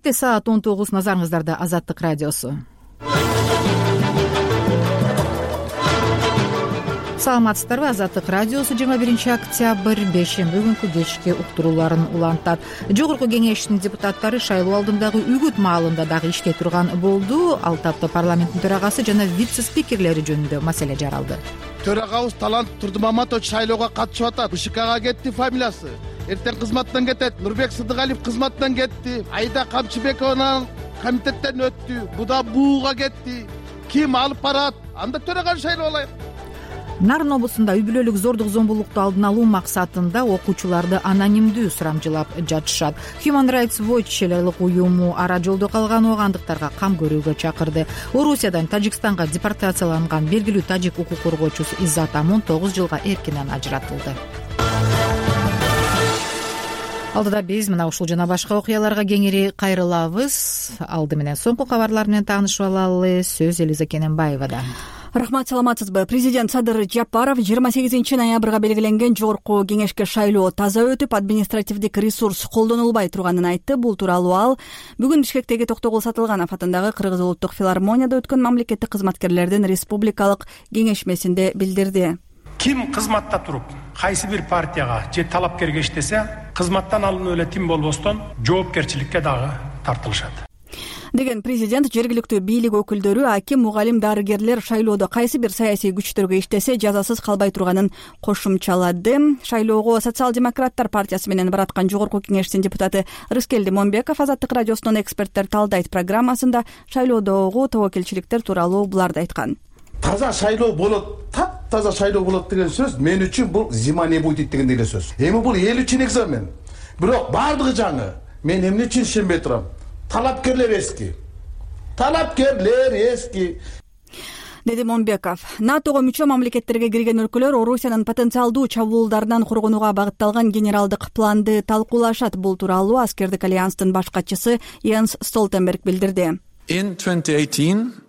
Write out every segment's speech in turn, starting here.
Эртең саат 19 назарыңыздарда Азаттык радиосу. Саламатсыздарбы? Азаттык радиосу 21 октябрь бейшемби күнкү кечки уктурууларын улантат. Жогорку кеңештин депутаттары шайлоо алдындагы үгүт маалында дагы иштей турган болду. Ал тапта парламенттин төрагасы жана вице-спикерлери жөнүндө маселе жаралды. Төрагабыз Талант Турдумаматович шайлоого катышып атат. БШКга кетти фамилиясы. Эртең кызматтан кетет. Нурбек Сыдыгалиев кызматтан кетти. Айда Камчыбекова комитеттен өттү. Буда бууга кетти. Ким алып барат? Анда төраганы шайлоолайык. Нарын облусунда үй бүлөлүк зордук зомбулукту алдын алуу максатында окуучуларды анонимдүү сурамжылап жатышат. Human Rights Watch элелик уюму ара жолдо калган оогандыктарга кам көрүүгө чакырды. Орусиядан Тажикстанга депортацияланган белгилүү тажик укук коргоочусу Иззат Амун 9 жылга эркинен ажыратылды. Алдыда биз мына ушул жана башка окуяларга кеңири кайрылабыз. Алды менен соңку кабарлар менен таанышып алалы. Сөз Элиза Кененбаевада. Рахмат, саламатсызбы? Президент Садыр Жапаров 28 ноябрга белгиленген жогорку кеңешке шайлоо таза өтүп, административдик ресурс колдонулбай турганын айтты. Бул тууралуу ал бүгүн Бишкектеги Токтогул Сатылганов атындагы Кыргыз улуттук филармонияда өткөн мамлекеттик кызматкерлердин республикалык кеңешмесинде билдирди. Ким кызматта туруп, кайсы бир партияга же талапкерге иштесе, кызматтан алынуу эле тим болбостон жоопкерчиликке дагы тартылышат деген президент жергиликтүү бийлик өкүлдөрү аким, мугалим, дарыгерлер шайлоодо кайсы бир саясий күчтөргө иштесе жазасыз калбай турганын кошумчалады. Шайлоого Социал-демократтар партиясы менен бараткан жогорку кеңештин депутаты Рыскелди Момбеков Азаттык радиосунун эксперттер талдайт программасында шайлоодогу тобокелчиликтер тууралуу буларды айткан. Таза шайлоо болот, таптаза шайлоо болот деген сөз мен үчүн бул зима не будет деген эле сөз. Эми бул эл үчүн экзамен. Бирок бардыгы жаңы. Мен эмне үчүн ишенбей турам? Талапкерлер эски. Деди Момбеков. НАТОго мүчө мамлекеттерге кирген өлкөлөр Орусиянын потенциалдуу чабуулдарынан коргонууга багытталган генералдык планды талкуулашат. Бул тууралуу аскердик альянстын баш катчысы Йенс Столтенберг билдирди. 2018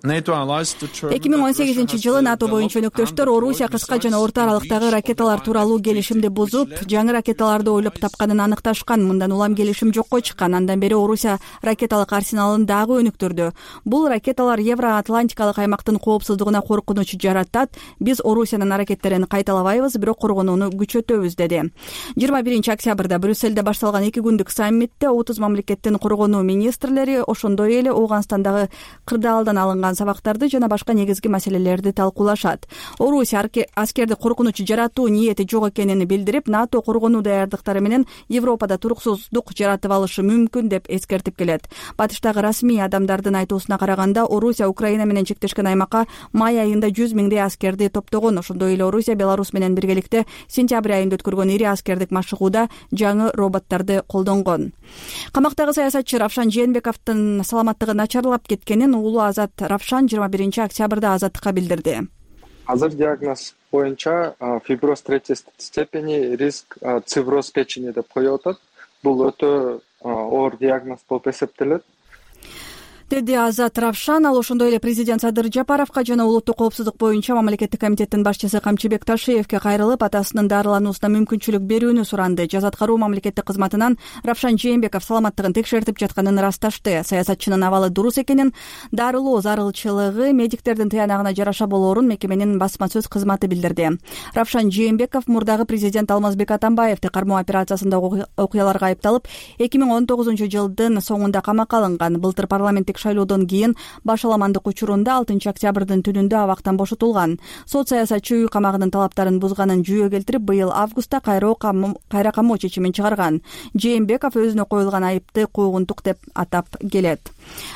жылы НАТО боюнча өнөктөштөр Орусия кыска жана орто аралыктагы ракеталар тууралуу келишимди бузуп, жаңы ракеталарды ойлоп тапканын аныкташкан. Мындан улам келишим жокко чыккан. Андан бери Орусия ракеталык арсеналын дагы өнүктүрдү. Бул ракеталар Евро-Атлантикалык аймактын коопсуздугуна коркунуч жаратат. Биз Орусиянын аракеттерин кайталабайбыз, бирок коргонууну күчөтөбүз, деди. 21 октябрда Брюссельде башталган 2 күндүк саммитте 30 мамлекеттин коргонуу министрлери, ошондой эле Ооганстандагы кырдаалдан алынган сабактарды жана башка негизги маселелерди талкуулашат. Орусия аскерди коркунуч жаратуу ниети жок экенин билдирип, НАТО коргонуу даярдыктары менен Европада туруксуздук жаратып алышы мүмкүн деп эскертип келет. Батыштагы расмий адамдардын айтуусуна караганда, Орусия Украина менен чектешкен аймакка май айында 100 миңдей аскерди топтогон. Ошондой эле Орусия Беларусь менен биргеликте сентябрь айында өткөргөн ири аскердик машыгууда жаңы роботторду колдонгон. Камактагы саясатчы Равшан Жээнбековдун саламаттыгы начарлап кеткенин улуу Азат Равшан 21 октябрда Азаттыкка билдирди. Азыр диагноз боюнча фиброз 3 степени, риск цирроз печени деп коюп атат. Бул өтө оор диагноз болуп эсептелет. деди Азат Равшан. Ал ошондой эле президент Садыр Жапаровго жана улуттук коопсуздук боюнча мамлекеттик комитеттин башчысы Камчыбек Ташиевке кайрылып, атасынын дарылануусуна мүмкүнчүлүк берүүнү суранды. Жаза аткаруу мамлекеттик кызматынан Равшан Жээнбеков саламаттыгын текшертип жатканын ырасташты. Саясатчынын абалы дурус экенин, дарылоо зарылчылыгы медиктердин тыянагына жараша болоорун мекеменин басма сөз кызматы билдирди. Равшан Жээнбеков мурдагы президент Алмазбек Атамбаевди кармоо операциясындагы окуяларга айыпталып, 2019 жылдын соңунда камакка алынган. Былтыр парламенттик шайлоодон кийин башаламандык учурунда 6 октябрдын түнүндө абактан бошотулган. Сот саясатчы үй камагынын талаптарын бузганын жүйө келтирип, быйыл августта кайра камоо чечимин чыгарган. Жээнбеков өзүнө коюлган айыпты куугунтук деп атап келет.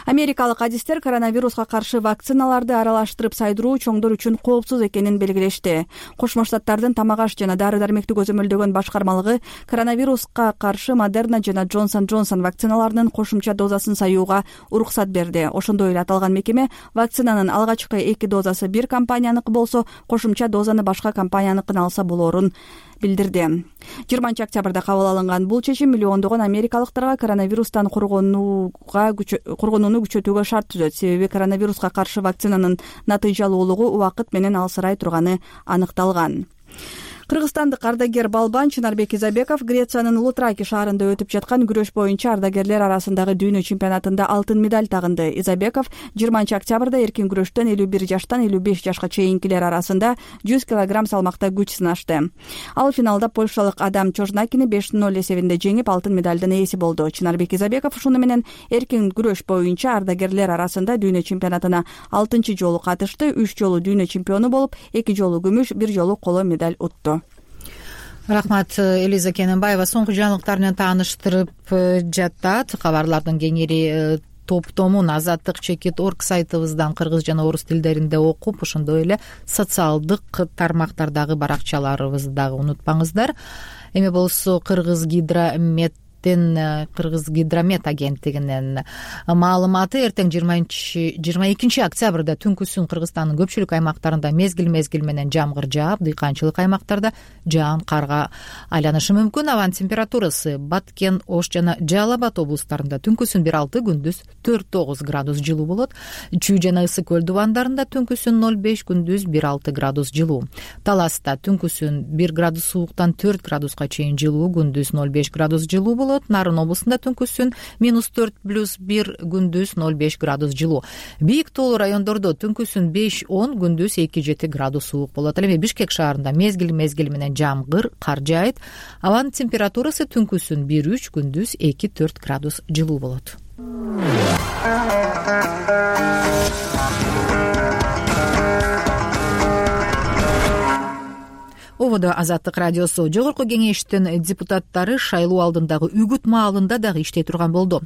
Америкалык адистер коронавируска каршы вакциналарды аралаштырып сайдыруу чоңдор үчүн коопсуз экенин белгилешти. Кошмо Штаттардын тамак аш жана дары-дармектик көзөмөлдөгөн башкармалыгы коронавируска каршы Модерна жана Johnson & Johnson вакциналарынын кошумча дозасын саюуга уруксат берди. Ошондой эле аталган мекеме вакцинанын алгачкы 2 дозасы бир компанияныкы болсо, кошумча дозаны башка компанияныкын алса болоорун билдирди. 20 октябрда кабыл алынган бул чечим миллиондогон америкалыктарга коронавирустан коргонууну күчөтүүгө шарт түзөт. Себеби коронавируска каршы вакцинанын натыйжалуулугу убакыт менен алсырай турганы аныкталган. Кыргызстандык ардагер балбан Чынарбек Изабеков Грециянын Лутраки шаарында өтүп жаткан күрөш боюнча ардагерлер арасындагы дүйнө чемпионатында алтын медаль тагынды. Изабеков 20 октябрда эркин күрөштөн 51 жаштан 55 жашка чейинкилер арасында 100 кг салмакта күч сынашты. Ал финалда польшалык Адам Чожнакини 5-0 эсебинде жеңип алтын медалдын ээси болду. Чынарбек Изабеков ушуну менен эркин күрөш боюнча ардагерлер арасында дүйнө чемпионатына 6 жолу катышты, 3 жолу дүйнө чемпиону болуп, 2 жолу күмүш, 1 жолу коло медаль утту. Рахмат, Элиза Кененбаева соңку жаңылыктар менен тааныштырып жатат. Кабарлардын кеңири топтомун azadlik.org сайтыбыздан кыргыз жана орус тилдеринде окуп, ошондой эле социалдык тармактардагы баракчаларыбызды дагы унутпаңыздар. Эми болсо Кыргыз гидромет агенттигинин маалыматы эртең 22 октябрда түнкүсүн Кыргызстандын көпчүлүк аймактарында мезгил менен жамгыр жаап, дыйканчылык аймактарда жаан карга айланышы мүмкүн. Абанын температурасы Баткен, Ош жана Жалал Абад облустарында түнкүсүн 1,6, күндүз 4,9 градус жылуу болот. Чүй жана Ысык көл дубандарында түнкүсүн 0,5, күндүз 1,6 градус жылуу. Таласта түнкүсүн 1 градус сууктан 4 градуска чейин жылуу, күндүз 0,5 градус жылуу болот. Нарын облусунда түнкүсүн -4+1, күндүз 0,5 градус жылуу. Бийик тоолуу райондордо түнкүсүн 5-10, күндүз 2-7 градус суук болот. Эми Бишкек шаарында мезгил менен жамгыр, кар жаайт. Абанын температурасы түнкүсүн 1-3, күндүз 2-4 градус жылуу болот. Ободо Азаттык радиосу. Жогорку кеңештин депутаттары шайлоо алдындагы үгүт маалында дагы иштей турган болду.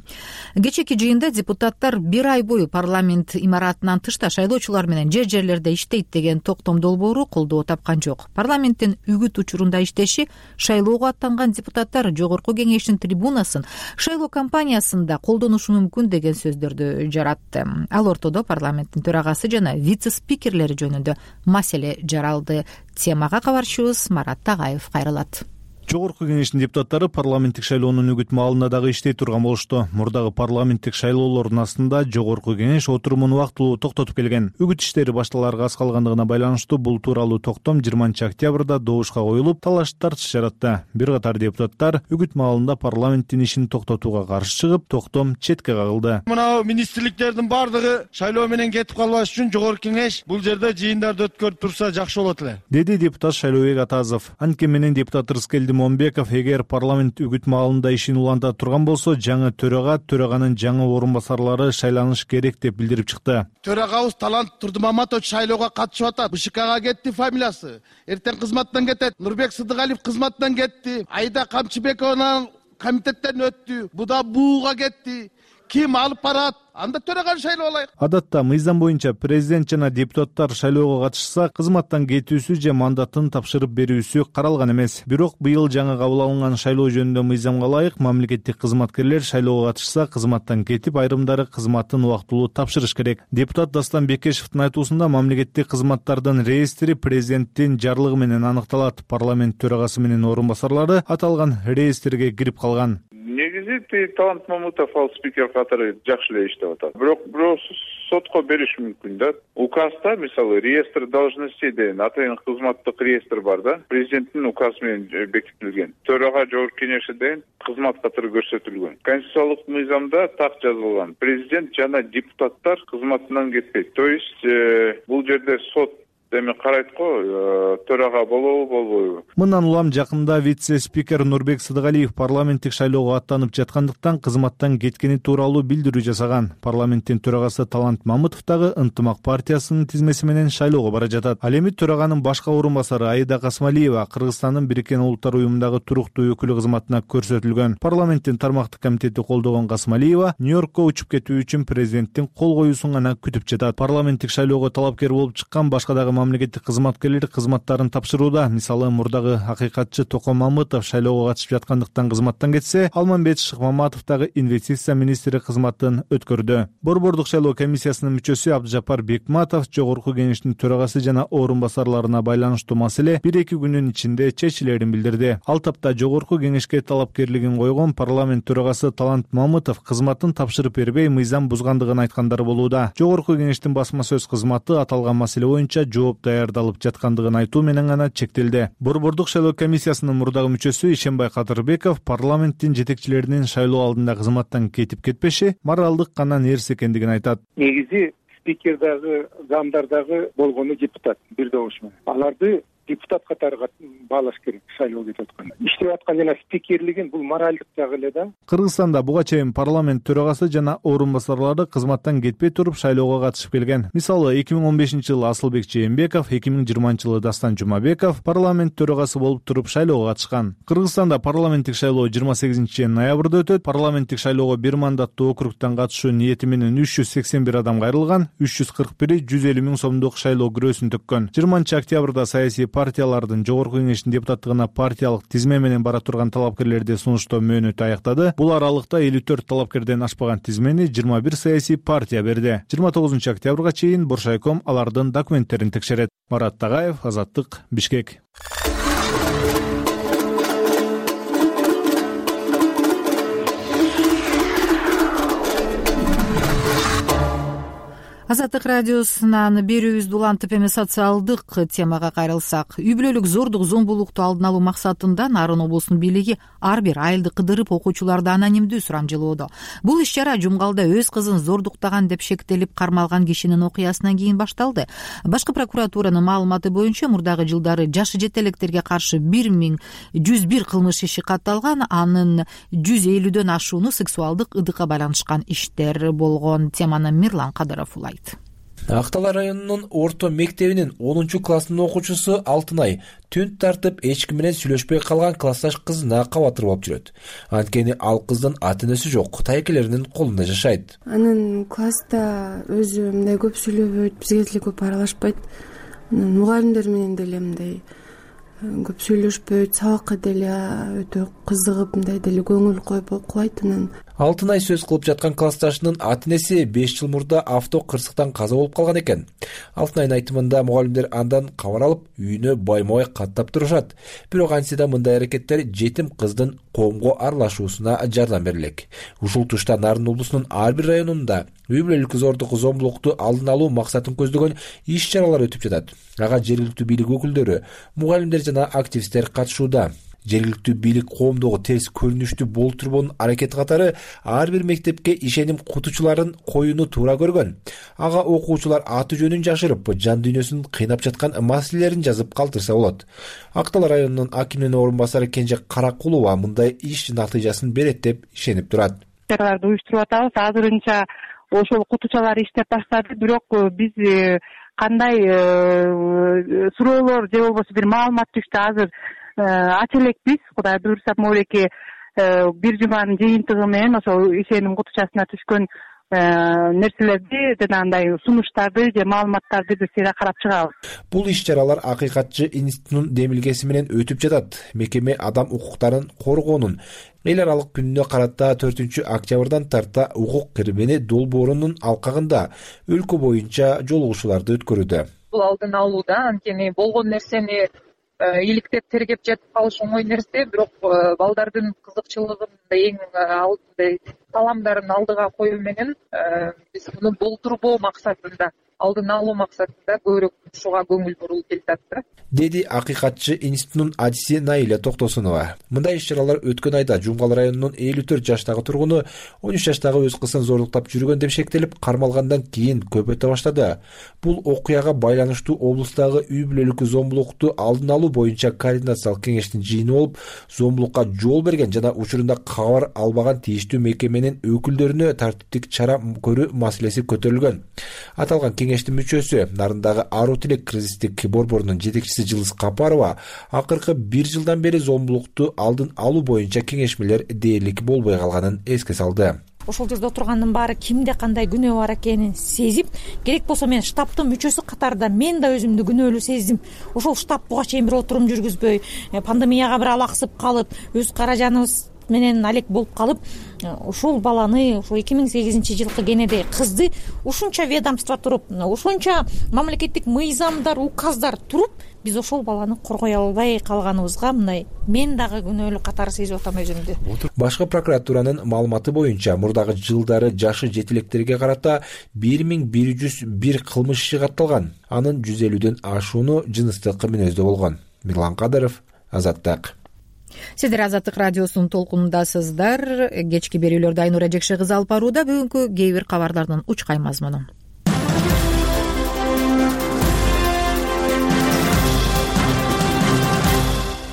Кечээки жыйында депутаттар 1 ай бою парламент имаратынан тышта шайлоочулар менен жерлерде иштейт деген токтом долбоору колдоо тапкан жок. Парламенттин үгүт учурунда иштеши шайлоого аттанган депутаттар жогорку кеңештин трибунасын шайлоо кампаниясында колдонушу мүмкүн деген сөздөрдү жаратты. Ал ортодо парламенттин төрагасы жана вице-спикерлери жөнүндө маселе жаралды. Темага кабарчыбыз Марат Тагаев кайрылат. Жогорку кеңештин депутаттары парламенттик шайлоонун үгүт маалында дагы иштей турган болушту. Мурдагы парламенттик шайлоолордун астында жогорку кеңеш отурумун убактылуу токтотуп келген. Үгүт иштери башталарга аз калгандыгына байланыштуу бул тууралуу токтом 20 октябрда добушка коюлуп, талаш тартыш жаратты. Бир катар депутаттар үгүт маалында парламенттин ишин токтотууга каршы чыгып, токтом четке кагылды. Мына министрликтердин бардыгы шайлоо менен кетип калбаш үчүн жогорку кеңеш бул жерде жыйындарды өткөрүп турса жакшы болот эле, деди депутат Шайлообек Атазов. Анткени менен депутат Рыскелди Момбеков эгер парламент үгүт маалында ишин уланта турган болсо, жаңы төраганын жаңы орун басарлары шайланыш керек деп билдирип чыкты. Төрагабыз Талант Турдумаматович шайлоого катышып атат. БШКга кетти фамилиясы. Эртең кызматтан кетет. Нурбек Сыдыгалиев кызматтан кетти. Айда Камчыбекова комитеттен өттү. Буда бууга кетти. Ким алып барат? Анда төраган шайлоо алайык. Адатта мыйзам боюнча президент жана депутаттар шайлоого катышса, кызматтан кетүүсү же мандатын тапшырып берүүсү каралган эмес. Бирок быйыл жаңы кабыл алынган шайлоо жөнүндө мыйзамга ылайык мамлекеттик кызматкерлер шайлоого катышса, кызматтан кетип, айрымдары кызматын убактылуу тапшырыш керек. Депутат Дастан Бекешевдин айтуусунда мамлекеттик кызматтардын реестри президенттин жарлыгы менен аныкталат. Парламент төрагасы менен орун басарлары аталган реестрге кирип калган. Негизи Талант Мамытов ал спикер катары жакшы эле иштеп атат. Бирок сотко бериш мүмкүн да. Указда, мисалы, реестр должностей деген атайын кызматтык реестр бар да. Президенттин указы менен бекитилген. Төрага жогорку кеңеши деген кызмат катары көрсөтүлгөн. Конституциялык мыйзамда так жазылган. Президент жана депутаттар кызматынан кетпейт. То есть бул жерде сот эми карайт го, төрага болобу, болбойбу. Мындан улам жакында вице-спикер Нурбек Сыдыгалиев парламенттик шайлоого аттанып жаткандыктан кызматтан кеткени тууралуу билдирүү жасаган. Парламенттин төрагасы Талант Мамытов дагы Ынтымак партиясынын тизмеси менен шайлоого бара жатат. Ал эми төраганын башка орун басары Айда Касмалиева Кыргызстандын Бириккен Улуттар уюмундагы туруктуу өкүлү кызматына көрсөтүлгөн. Парламенттин тармактык комитети колдогон Касмалиева Нью-Йоркко учуп кетүү үчүн президенттин кол коюусун гана күтүп жатат. Парламенттик шайлоого талапкер болуп чыккан башка дагы мамлекеттик кызматкерлер кызматтарын тапшырууда. Мисалы, мурдагы акыйкатчы Током Мамытов шайлоого катышып жаткандыктан кызматтан кетсе, Алмамбет Шыкмаматов дагы инвестиция министри кызматын өткөрдү. Борбордук шайлоо комиссиясынын мүчөсү Абдыжапар Бекматов жогорку кеңештин төрагасы жана орун басарларына байланыштуу маселе 1-2 күнүн ичинде чечилерин билдирди. Ал тапта жогорку кеңешке талапкерлигин койгон парламент төрагасы Талант Мамытов кызматын тапшырып бербей, мыйзам бузгандыгын айткандары болууда. Жогорку кеңештин басма сөз кызматы аталган маселе боюнча жооп жооп даярдалып жаткандыгын айтуу менен гана чектелди. Борбордук шайлоо комиссиясынын мурдагы мүчөсү Ишенбай Кадырбеков парламенттин жетекчилеринин шайлоо алдында кызматтан кетип кетпеши моралдык гана нерсе экендигин айтат. Негизи спикер дагы, замдар дагы болгону депутат бир добуш менен. Аларды депутат катары баалаш керек шайлоо кетип атканда. Иштеп аткан жана спикерлигин бул моралдык жагы эле да. Кыргызстанда буга чейин парламент төрагасы жана орун басарлары кызматтан кетпей туруп шайлоого катышып келген. Мисалы 2015-жылы Асылбек Жээнбеков, 2020-жылы Дастан Жумабеков парламент төрагасы болуп туруп шайлоого катышкан. Кыргызстанда парламенттик шайлоо 28 ноябрда өтөт. Парламенттик шайлоого бир мандаттуу округтан катышуу ниети менен 381 адам кайрылган, 341 150 миң сомдук шайлоо күрөөсүн төккөн. 20 октябрда саясий партиялардын жогорку кеңештин депутаттыгына партиялык тизме менен бара турган талапкерлерди сунуштоо мөөнөтү аяктады. Бул аралыкта 54 талапкерден ашпаган тизмени 21 саясий партия берди. 29 октябрга чейин Боршайком алардын документтерин текшерет. Марат Тагаев, Азаттык, Бишкек. Азаттык радиосунан берүүбүздү улантып эми социалдык темага кайрылсак, үй бүлөлүк зордук зомбулукту алдын алуу максатында Нарын облусунун бийлиги ар бир айылды кыдырып окуучуларды анонимдүү сурамжылоодо. Бул иш-чара Жумгалда өз кызын зордуктаган деп шектелип кармалган кишинин окуясынан кийин башталды. Башкы прокуратуранын маалыматы боюнча мурдагы жылдары жашы жете электерге каршы 1101 кылмыш иши катталган, анын 150дөн ашууну сексуалдык ыдыкка байланышкан иштер болгон. Теманы Мирлан Кадыров улайт. Актала районунун орто мектебинин 10-классынын окуучусу Алтынай түн тартып эч ким менен сүйлөшпөй калган классташ кызына кабатыр болуп жүрөт. Анткени ал кыздын ата-энеси жок, тайкелеринин колунда жашайт. Анын класста өзү мындай көп сүйлөбөйт, бизге деле көп аралашпайт. Мугалимдер менен деле мындай көп сүйлөшпөйт, сабакка деле өтө кызыгып мындай деле көңүл коюп окубайт. Алтынай сөз кылып жаткан классташынын ата-энеси 5 жыл мурда авто кырсыктан каза болуп калган экен. Алтынайдын айтымында мугалимдер андан кабар алып, үйүнө байма-бай каттап турушат. Бирок антсе да мындай аракеттер жетим кыздын коомго аралашуусуна жардам берилек. Ушул тушта Нарын облусунун ар бир районунда үй бүлөлүк зордук зомбулукту алдын алуу максатын көздөгөн иш-чаралар өтүп жатат. Ага жергиликтүү бийлик өкүлдөрү, мугалимдер жана активисттер катышууда. Жергиликтүү бийлик коомдогу терс көрүнүштү болтурбоонун аракети катары ар бир мектепке ишеним кутучуларын коюуну туура көргөн. Ага окуучулар аты жөнүн жашырып, жан дүйнөсүн кыйнап жаткан маселелерин жазып калтырса болот. Актала районунун акиминин орун басары Кенже Каракулова мындай иш натыйжасын берет деп ишенип турат. Чараларды уюштуруп атабыз. Азырынча ошол кутучалар иштеп баштады, бирок биз кандай суроолор же болбосо бир маалымат түштү азыр ача элекпиз. Кудай буюрса могулеки бир жуманын жыйынтыгы менен ошол ишеним кутучасына түшкөн нерселерди жана андай сунуштарды же маалыматтарды биз сыйра карап чыгабыз. Бул иш-чаралар Акыйкатчы институтунун демилгеси менен өтүп жатат. Мекеме адам укуктарын коргоонун эл аралык күнүнө карата 4 октябрдан тарта укук кирмени долбоорунун алкагында өлкө боюнча жолугушууларды өткөрүүдө. Бул алдын алууда, анткени болгон нерсени иликтеп тергеп жетип калыш оңой нерсе, бирок балдардын кызыкчылыгын эң алдында таламдарын алдыга коюу менен биз муну болтурбоо максатында, алдын алуу максатында көбүрөөк ушуга көңүл бурулуп келатат да, деди Акыйкатчы институтунун адиси Наиля Токтосунова. Мындай иш-чаралар өткөн айда Жумгал районунун 54 жаштагы тургуну 13 жаштагы өз кызын зордуктап жүргөн деп шектелип кармалгандан кийин көп өтө баштады. Бул окуяга байланыштуу облустагы үй бүлөлүк зомбулукту алдын алуу боюнча координациялык кеңештин жыйыны болуп, зомбулукка жол берген жана учурунда кабар албаган тийиштүү мекеменин өкүлдөрүнө тартиптик чара көрүү маселеси көтөрүлгөн. Аталган кеңештин мүчөсү, Нарындагы Аруу Тилек кризистик борборунун жетекчиси Жылыс Капарова акыркы 1 жылдан бери зомбулукту алдын алуу боюнча кеңешмелер дээрлик болбой калганын эске салды. Ошол жерде отургандын баары кимде кандай күнөө бар экенин сезип, керек болсо мен штабтын мүчөсү катарында мен да өзүмдү күнөөлүү сездим. Ошол штаб буга чейин бир отурум жүргүзбөй, пандемияга бир алаксып калып, өз каражаныбыз менен алек болуп калып, ушул баланы, ушул 2008-жылкы кенедей кызды ушунча ведомство туруп, ушунча мамлекеттик мыйзамдар, указдар туруп, биз ошол баланы коргой албай калганыбызга мындай мен дагы күнөөлүү катары сезип атам өзүмдү. Башкы прокуратуранын маалыматы боюнча мурдагы жылдары жашы жетилектерге карата 1101 кылмыш иши катталган. Анын 150дөн ашууну жыныстык мүнөздө болгон. Мирлан Кадыров, Азаттык. Сиздер Азаттык радиосунун толкунундасыздар. Кечки берүүлөрдү Айнура Жекше кызы алып барууда. Бүгүнкү кээ бир кабарлардын учкай мазмуну.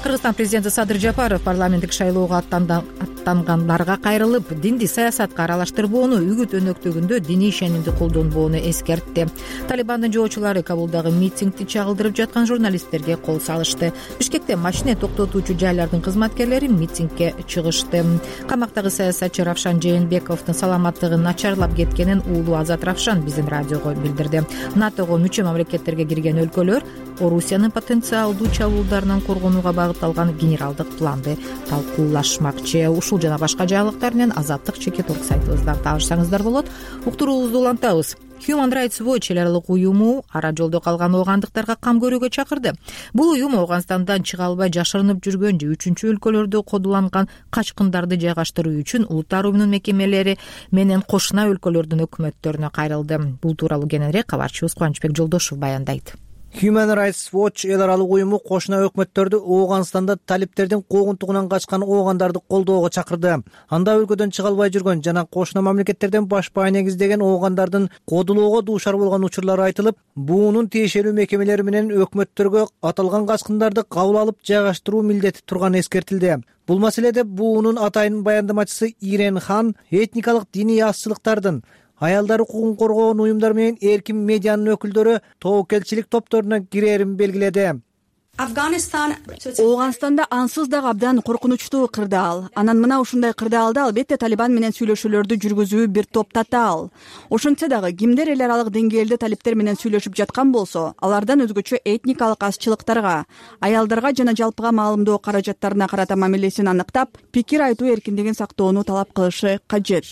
Кыргызстан президенти Садыр Жапаров парламенттик шайлоого аттангандарга кайрылып, динди саясатка аралаштырбоону, үгүт өнөктөгүндө диний ишенимди колдонбоону эскертти. Талибандын жоочулары Кабулдагы митингди чагылдырып жаткан журналисттерге кол салышты. Бишкекте машина токтотуучу жайлардын кызматкерлери митингге чыгышты. Камактагы саясатчы Равшан Жээнбековдун саламаттыгы начарлап кеткенин уулу Азат Равшан биздин радиого билдирди. НАТОго мүчө мамлекеттерге кирген өлкөлөр Орусиянын потенциалдуу чабуулдарынан коргонууга багытталган генералдык планды талкуулашмакчы. Ушул жана башка жаңылыктар менен Азаттык чекит орг сайтыбыздан таанышсаңыздар болот. Уктуруубузду улантабыз. Human Rights Watch эл аралык уюму ара жолдо калган оогандыктарга кам көрүүгө чакырды. Бул уюм Ооганстандан чыга албай жашырынып жүргөн же үчүнчү өлкөлөрдө кодуланган качкындарды жайгаштыруу үчүн улуттар уюмунун мекемелери менен кошуна өлкөлөрдүн өкмөттөрүнө кайрылды. Бул тууралуу кененирээк кабарчыбыз Кубанычбек Жолдошев баяндайт. Human Rights Watch эл аралык уюму кошуна өкмөттөрдү Ооганстанда талиптердин куугунтугунан качкан оогандарды колдоого чакырды. Анда өлкөдөн чыга албай жүргөн жана кошуна мамлекеттерден баш баа негиздеген оогандардын кодулоого дуушар болгон учурлары айтылып, буунун тиешелүү мекемелери менен өкмөттөргө аталган качкындарды кабыл алып жайгаштыруу милдети турганы эскертилди. Бул маселеде буунун атайын баяндамачысы Ирен Хан этникалык диний азчылыктардын, аялдар укугун коргоон уюмдар менен эркин медианын өкүлдөрү тобокелчилик топторуна кирээрин белгиледи. Ооганстанда ансыз дагы абдан коркунучтуу кырдаал. Анан мына ушундай кырдаалды албетте Талибан менен сүйлөшүүлөрдү жүргүзүү бир топ татаал. Ошентсе дагы кимдер эл аралык деңгээлде талиптер менен сүйлөшүп жаткан болсо, алардан өзгөчө этникалык азчылыктарга, аялдарга жана жалпыга маалымдоо каражаттарына карата мамилесин аныктап, пикир айтуу эркиндигин сактоону талап кылышы кажет.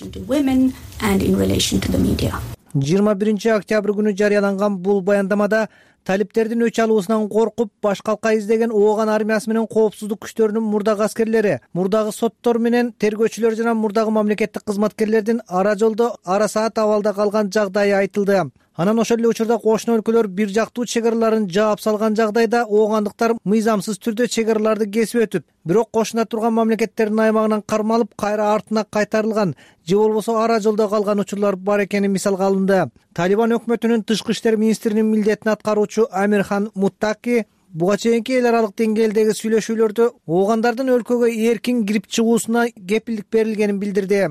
21 октябрь күнү жарыяланган бул баяндамада талиптердин өч алуусунан коркуп баш калка издеген ооган армиясы менен коопсуздук күчтөрүнүн мурдагы аскерлери, мурдагы соттор менен тергөөчүлөр жана мурдагы мамлекеттик кызматкерлердин ара жолдо ара саат абалда калган жагдайы айтылды. Анан ошол эле учурда кошуна өлкөлөр бир жактуу чек араларын жаап салган жагдайда оогандыктар мыйзамсыз түрдө чек араларды кесип өтүп, бирок кошуна турган мамлекеттердин аймагынан кармалып кайра артына кайтарылган же болбосо ара жолдо калган учурлар бар экени мисалга алынды. Талибан өкмөтүнүн тышкы иштер министринин милдетин аткаруучу Амирхан Муттаки буга чейинки эл аралык деңгээлдеги сүйлөшүүлөрдө оогандардын өлкөгө эркин кирип чыгуусуна кепилдик берилгенин билдирди.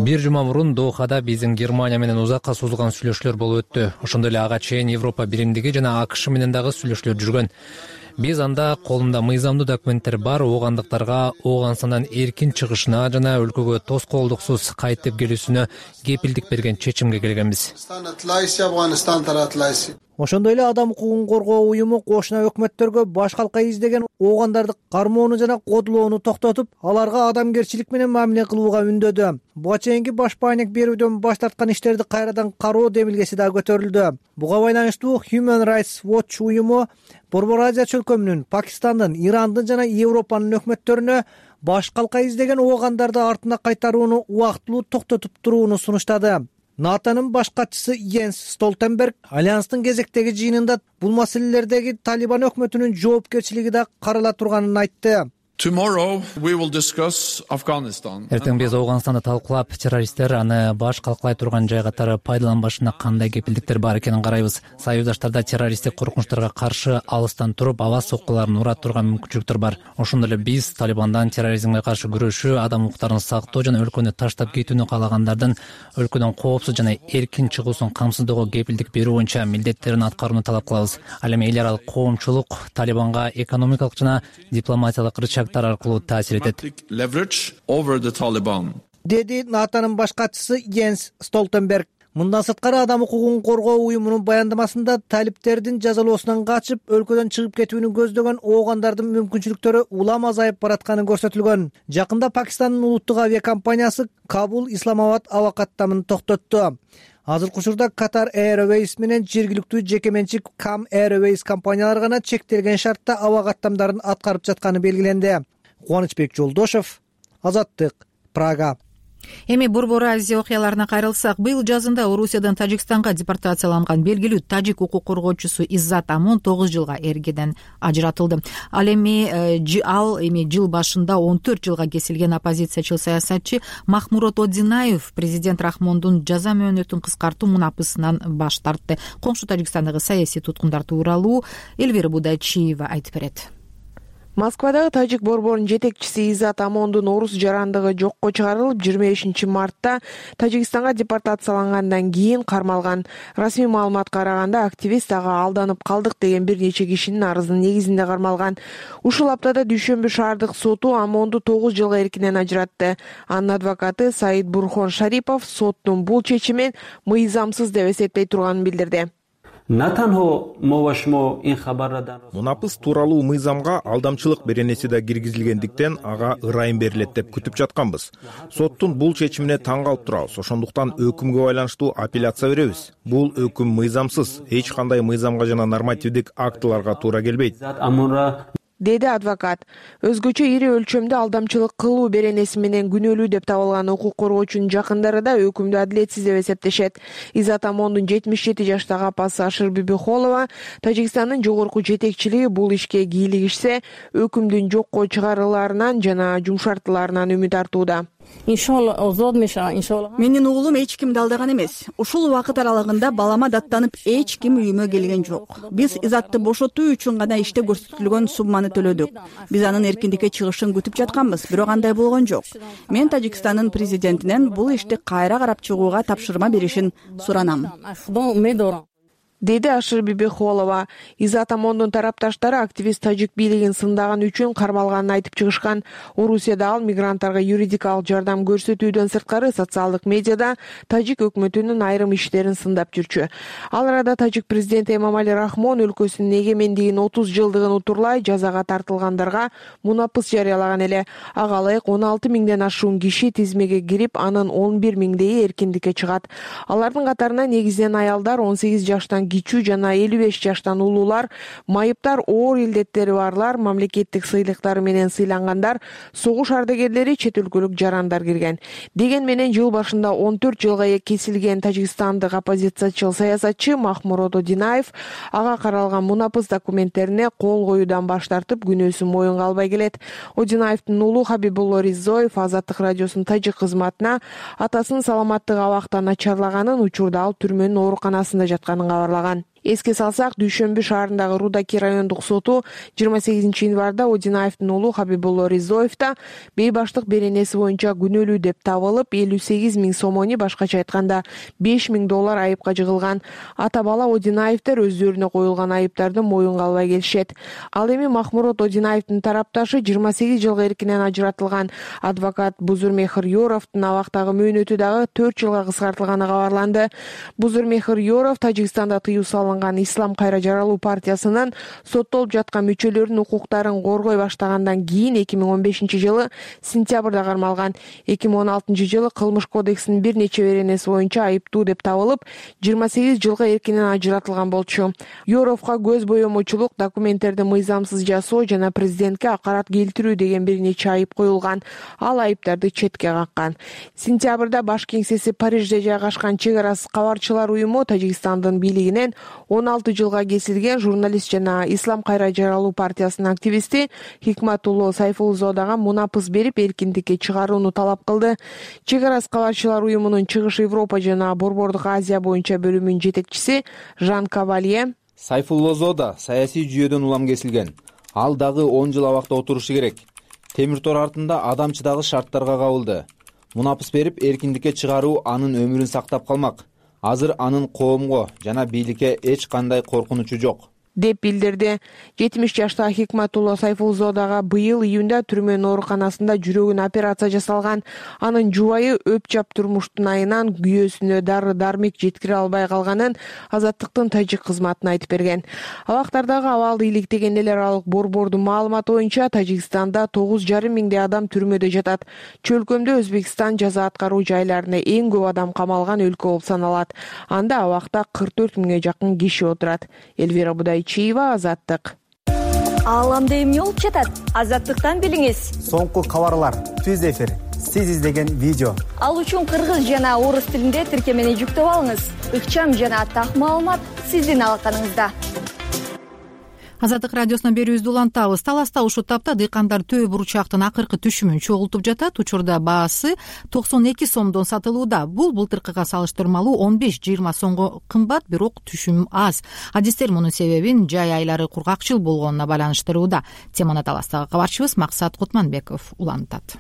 Бир жума мурун Дохада биздин Германия менен узакка созулган сүйлөшүүлөр болуп өттү. Ошондой эле ага чейин Европа биримдиги жана АКШ менен дагы сүйлөшүүлөр жүргөн. Биз анда колунда мыйзамдуу документтер бар оогандыктарга Ооганстандан эркин чыгышына жана өлкөгө тоскоолдуксуз кайтып келүүсүнө кепилдик берген чечимге келгенбиз. Ошондой эле адам укугун коргоо уюму кошуна өкмөттөргө баш калка издеген оогандарды кармоону жана кодулоону токтотуп, аларга адамгерчилик менен мамиле кылууга үндөдү. Буга чейинки баш баанек берүүдөн баш тарткан иштерди кайрадан кароо демилгеси да көтөрүлдү. Буга байланыштуу Human Rights Watch уюму Борбор Азия чөлкөмүнүн, Пакистандын, Ирандын жана Европанын өкмөттөрүнө баш калка издеген оогандарды артына кайтарууну убактылуу токтотуп турууну сунуштады. НАТОнун баш катчысы Йенс Столтенберг альянстын кезектеги жыйынында бул маселелердеги Талибан өкмөтүнүн жоопкерчилиги да карала турганын айтты. Эртең биз Ооганстанды талкуулап, террористтер аны баш калкалай турган жай катары пайдаланбашына кандай кепилдиктер бар экенин карайбыз. Союздаштарда террористтик коркунучтарга каршы алыстан туруп, аба соккуларын урат турган мүмкүнчүлүктөр бар. Ошондой эле биз Талибандан терроризмге каршы күрөшүү, адам укуктарын сактоо жана өлкөнү таштап кетүүнү каалагандардын өлкөдөн коопсуз жана эркин чыгуусун камсыздоого кепилдик берүү боюнча милдеттерин аткарууну талап кылабыз. Ал эми эл аралык коомчулук Талибанга экономикалык жана дипломатиялык рычагдар аркылуу таасир этет, деди НАТОнун баш катчысы Йенс Столтенберг. Мындан сырткары Адам укугун коргоо уюмунун баяндамасында талиптердин жазалоосунан качып өлкөдөн чыгып кетүүнү көздөгөн оогандардын мүмкүнчүлүктөрү улам азайып баратканы көрсөтүлгөн. Жакында Пакистандын улуттук авиакомпаниясы Кабул Исламабад аба каттамын токтотту. Азыркы учурда Qatar Airways менен жергиликтүү жеке менчик Kam Airways компаниялары гана чектелген шартта аба каттамдарын аткарып жатканы белгиленди. Кубанычбек Жолдошев, Азаттык, Прага. Эми Борбор Азия окуяларына кайрылсак, быйыл жазында Орусиядан Тажикстанга депортацияланган белгилүү тажик укук коргоочусу Иззат Амон 9 жылга эркеден ажыратылды. Ал эми жыл башында 14 жылга кесилген оппозициячыл саясатчы Махмурот Одинаев президент Рахмондун жаза мөөнөтүн кыскартуу мунапысынан баш тартты. Коңшу Тажикстандагы саясий туткундар тууралуу Элвира Будайчиева айтып берет. Москвадагы тажик борборунун жетекчиси Иззат Амондун орус жарандыгы жокко чыгарылып, 25-мартта Тажикстанга депортациялангандан кийин кармалган. Расмий маалыматка караганда, активист ага алданып калдык деген бир нече кишинин арызынын негизинде кармалган. Ушул аптада Дүйшөмбү шаардык соту Амонду 9 жылга эркинен ажыратты. Анын адвокаты Саид Бурхон Шарипов соттун бул чечимин мыйзамсыз деп эсептей турганын билдирди. Мунапыс тууралуу мыйзамга алдамчылык беренеси да киргизилгендиктен ага ырайым берилет деп күтүп жатканбыз. Соттун бул чечимине таң калып турабыз. Ошондуктан өкүмгө байланыштуу апелляция беребиз. Бул өкүм мыйзамсыз, эч кандай мыйзамга жана нормативдик актыларга туура келбейт, деди адвокат. Өзгөчө ири өлчөмдө алдамчылык кылуу беренеси менен күнөөлүү деп табылган укук коргоочунун жакындары да өкүмдү адилетсиз деп эсептешет. Иззат Амондун 77 жаштагы апасы Ашыр Бибихолова Тажикстандын жогорку жетекчилиги бул ишке кийлигишсе, өкүмдүн жокко чыгарылаарынан жана жумшартылаарынан үмүт артууда. Менин уулум эч кимди алдаган эмес. Ушул убакыт аралыгында балама даттанып эч ким үйүмө келген жок. Биз Иззатты бошотуу үчүн гана иште көрсөтүлгөн сумманы төлөдүк. Биз анын эркиндикке чыгышын күтүп жатканбыз, бирок андай болгон жок. Мен Тажикстандын президентинен бул ишти кайра карап чыгууга тапшырма беришин суранам, деди Ашыр Бибихолова. Иззат Амондун тарапташтары активист тажик бийлигин сындаган үчүн кармалганын айтып чыгышкан. Орусияда ал мигранттарга юридикалык жардам көрсөтүүдөн сырткары социалдык медиада тажик өкмөтүнүн айрым иштерин сындап жүрчү. Ал арада тажик президенти Эмомали Рахмон өлкөсүнүн эгемендигинин 30 жылдыгын утурлай жазага тартылгандарга мунапыс жарыялаган эле. Ага ылайык 16 миңден ашуун киши тизмеге кирип, анын 11 миңдейи эркиндикке чыгат. Алардын катарына негизинен аялдар, 18 жаштан кичүү жана 55 жаштан улуулар, майыптар, оор илдеттери барлар, мамлекеттик сыйлыктары менен сыйлангандар, согуш ардагерлери, чет өлкөлүк жарандар кирген. Деген менен жыл башында 14 жылга кесилген тажикстандык оппозициячыл саясатчы Махмурот Одинаев ага каралган мунапыс документтерине кол коюудан баш тартып, күнөөсүн моюнга албай келет. Одинаевдин уулу Хабибулло Ризоев Азаттык радиосунун тажик кызматына атасынын саламаттыгы абакта начарлаганын, учурда ал түрмөнүн ооруканасында жатканын кабарлаган. Эске салсак, Дүйшөмбү шаарындагы Рудаки райондук соту 28 январда Одинаевдин уулу Хабибулло Ризоевда бейбаштык беренеси боюнча күнөөлүү деп табылып, 58 миң сомони, башкача айтканда $5,000 айыпка жыгылган. Ата бала Одинаевдер өздөрүнө коюлган айыптарды моюнга албай келишет. Ал эми Махмурот Одинаевдин тарапташы 28 жылга эркинен ажыратылган. Адвокат Бузурмехир Ёровдун абактагы мөөнөтү дагы 4 жылга кыскартылганы кабарланды. Бузурмехир Ёров Тажикстанда тыюу салынган Ислам кайра жаралуу партиясынын соттолуп жаткан мүчөлөрүнүн укуктарын коргой баштагандан кийин 2015 жылы сентябрда кармалган. 2016 жылы кылмыш кодексинин бир нече беренеси боюнча айыптуу деп табылып, 28 жылга эркинен ажыратылган болчу. Ёровго көз боемочулук, документтерди мыйзамсыз жасоо жана президентке акарат келтирүү деген бир нече айып коюлган. Ал айыптарды четке каккан. Сентябрда баш кеңсеси Парижде жайгашкан Чек арасы кабарчылар уюму Тажикстандын бийлигинен 16 жылга кесилген журналист жана Ислам кайра жаралуу партиясынын активисти Хикматулло Сайфулзодага мунапыс берип, эркиндикке чыгарууну талап кылды. Чек арасы кабарчылар уюмунун Чыгыш Европа жана Борбордук Азия боюнча бөлүмүнүн жетекчиси Жан Кавалье: Сайфуллозодо саясий жүйөдөн улам кесилген. Ал дагы 10 жыл абакта отурушу керек. Темир тор артында адамчы дагы шарттарга кабылды. Мунапыс берип, эркиндикке чыгаруу анын өмүрүн сактап калмак. Азыр анын коомго жана бийликке эч кандай коркунучу жок. деп билдирди. 70 жаштагы Хикматулла Сайфулзо дагы быйыл июнда түрмөнүн ооруканасында жүрөгүнө операция жасалган. Анын жубайы өп-жап турмуштун айынан күйөөсүнө дары-дармик жеткире албай калганын Азаттыктын тажик кызматына айтып берген. Абактардагы абалды иликтеген эл аралык борбордун маалыматы боюнча Тажикстанда 9,5 миңдей адам түрмөдө жатат. Чөлкөмдө Өзбекстан жаза аткаруу жайларына эң көп адам камалган өлкө болуп саналат. Анда абакта 44 миңге жакын киши отурат. Элвира Будайчиева, Азаттык. Ааламда эмне болуп жатат? Азаттыктан билиңиз. Соңку кабарлар, түз эфир, сиз издеген видео. Ал үчүн кыргыз жана орус тилинде тиркемени жүктөп алыңыз. Ыкчам жана так маалымат сиздин алаканыңызда. Азаттык радиосуна берүүбүздү улантабыз. Таласта ушул тапта дыйкандар төө бурчактын акыркы түшүмүн чогултуп жатат. Учурда баасы 92 сомдон сатылууда. Бул былтыркыга салыштырмалуу 15-20 сомго кымбат, бирок түшүм аз. Адистер мунун себебин жай айлары кургакчыл болгонуна байланыштырууда. Теманы Таластагы кабарчыбыз Максат Кутманбеков улантат.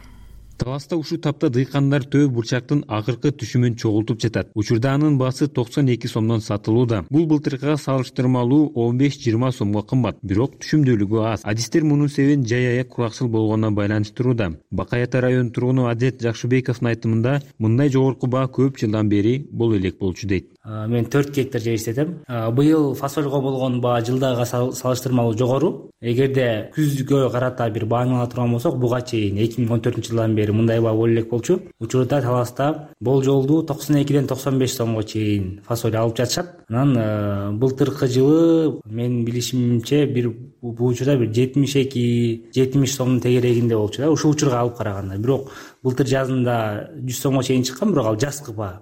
Таласта ушул тапта дыйкандар төө бурчактын акыркы түшүмүн чогултуп жатат. Учурда анын баасы 92 сомдон сатылууда. Бул былтыркыга салыштырмалуу 15-20 сомго кымбат, бирок түшүмдүүлүгү аз. Адистер мунун себебин жай ая кургакчыл болгонуна байланыштырууда. Бакай Ата районунун тургуну Адет Жакшыбековдун айтымында, мындай жогорку баа көп жылдан бери боло элек болчу дейт. Мен 4 гектар жер иштетем. Быйыл фасольго болгон баа жылдага салыштырмалуу жогору. Эгерде күзгө карата бир бааны ала турган болсок, буга чейин 2014-жылдан бери мындай баа боло элек болчу. Учурда Таласта болжолдуу 92ден 95 сомго чейин фасоль алып жатышат. Анан былтыркы жылы мен билишимче бул учурда 72-70 сомдун тегерегинде болчу да. Ушул учурга алып караганда. Бирок былтыр жазында 100 сомго чейин чыккан, бирок ал жазкы баа.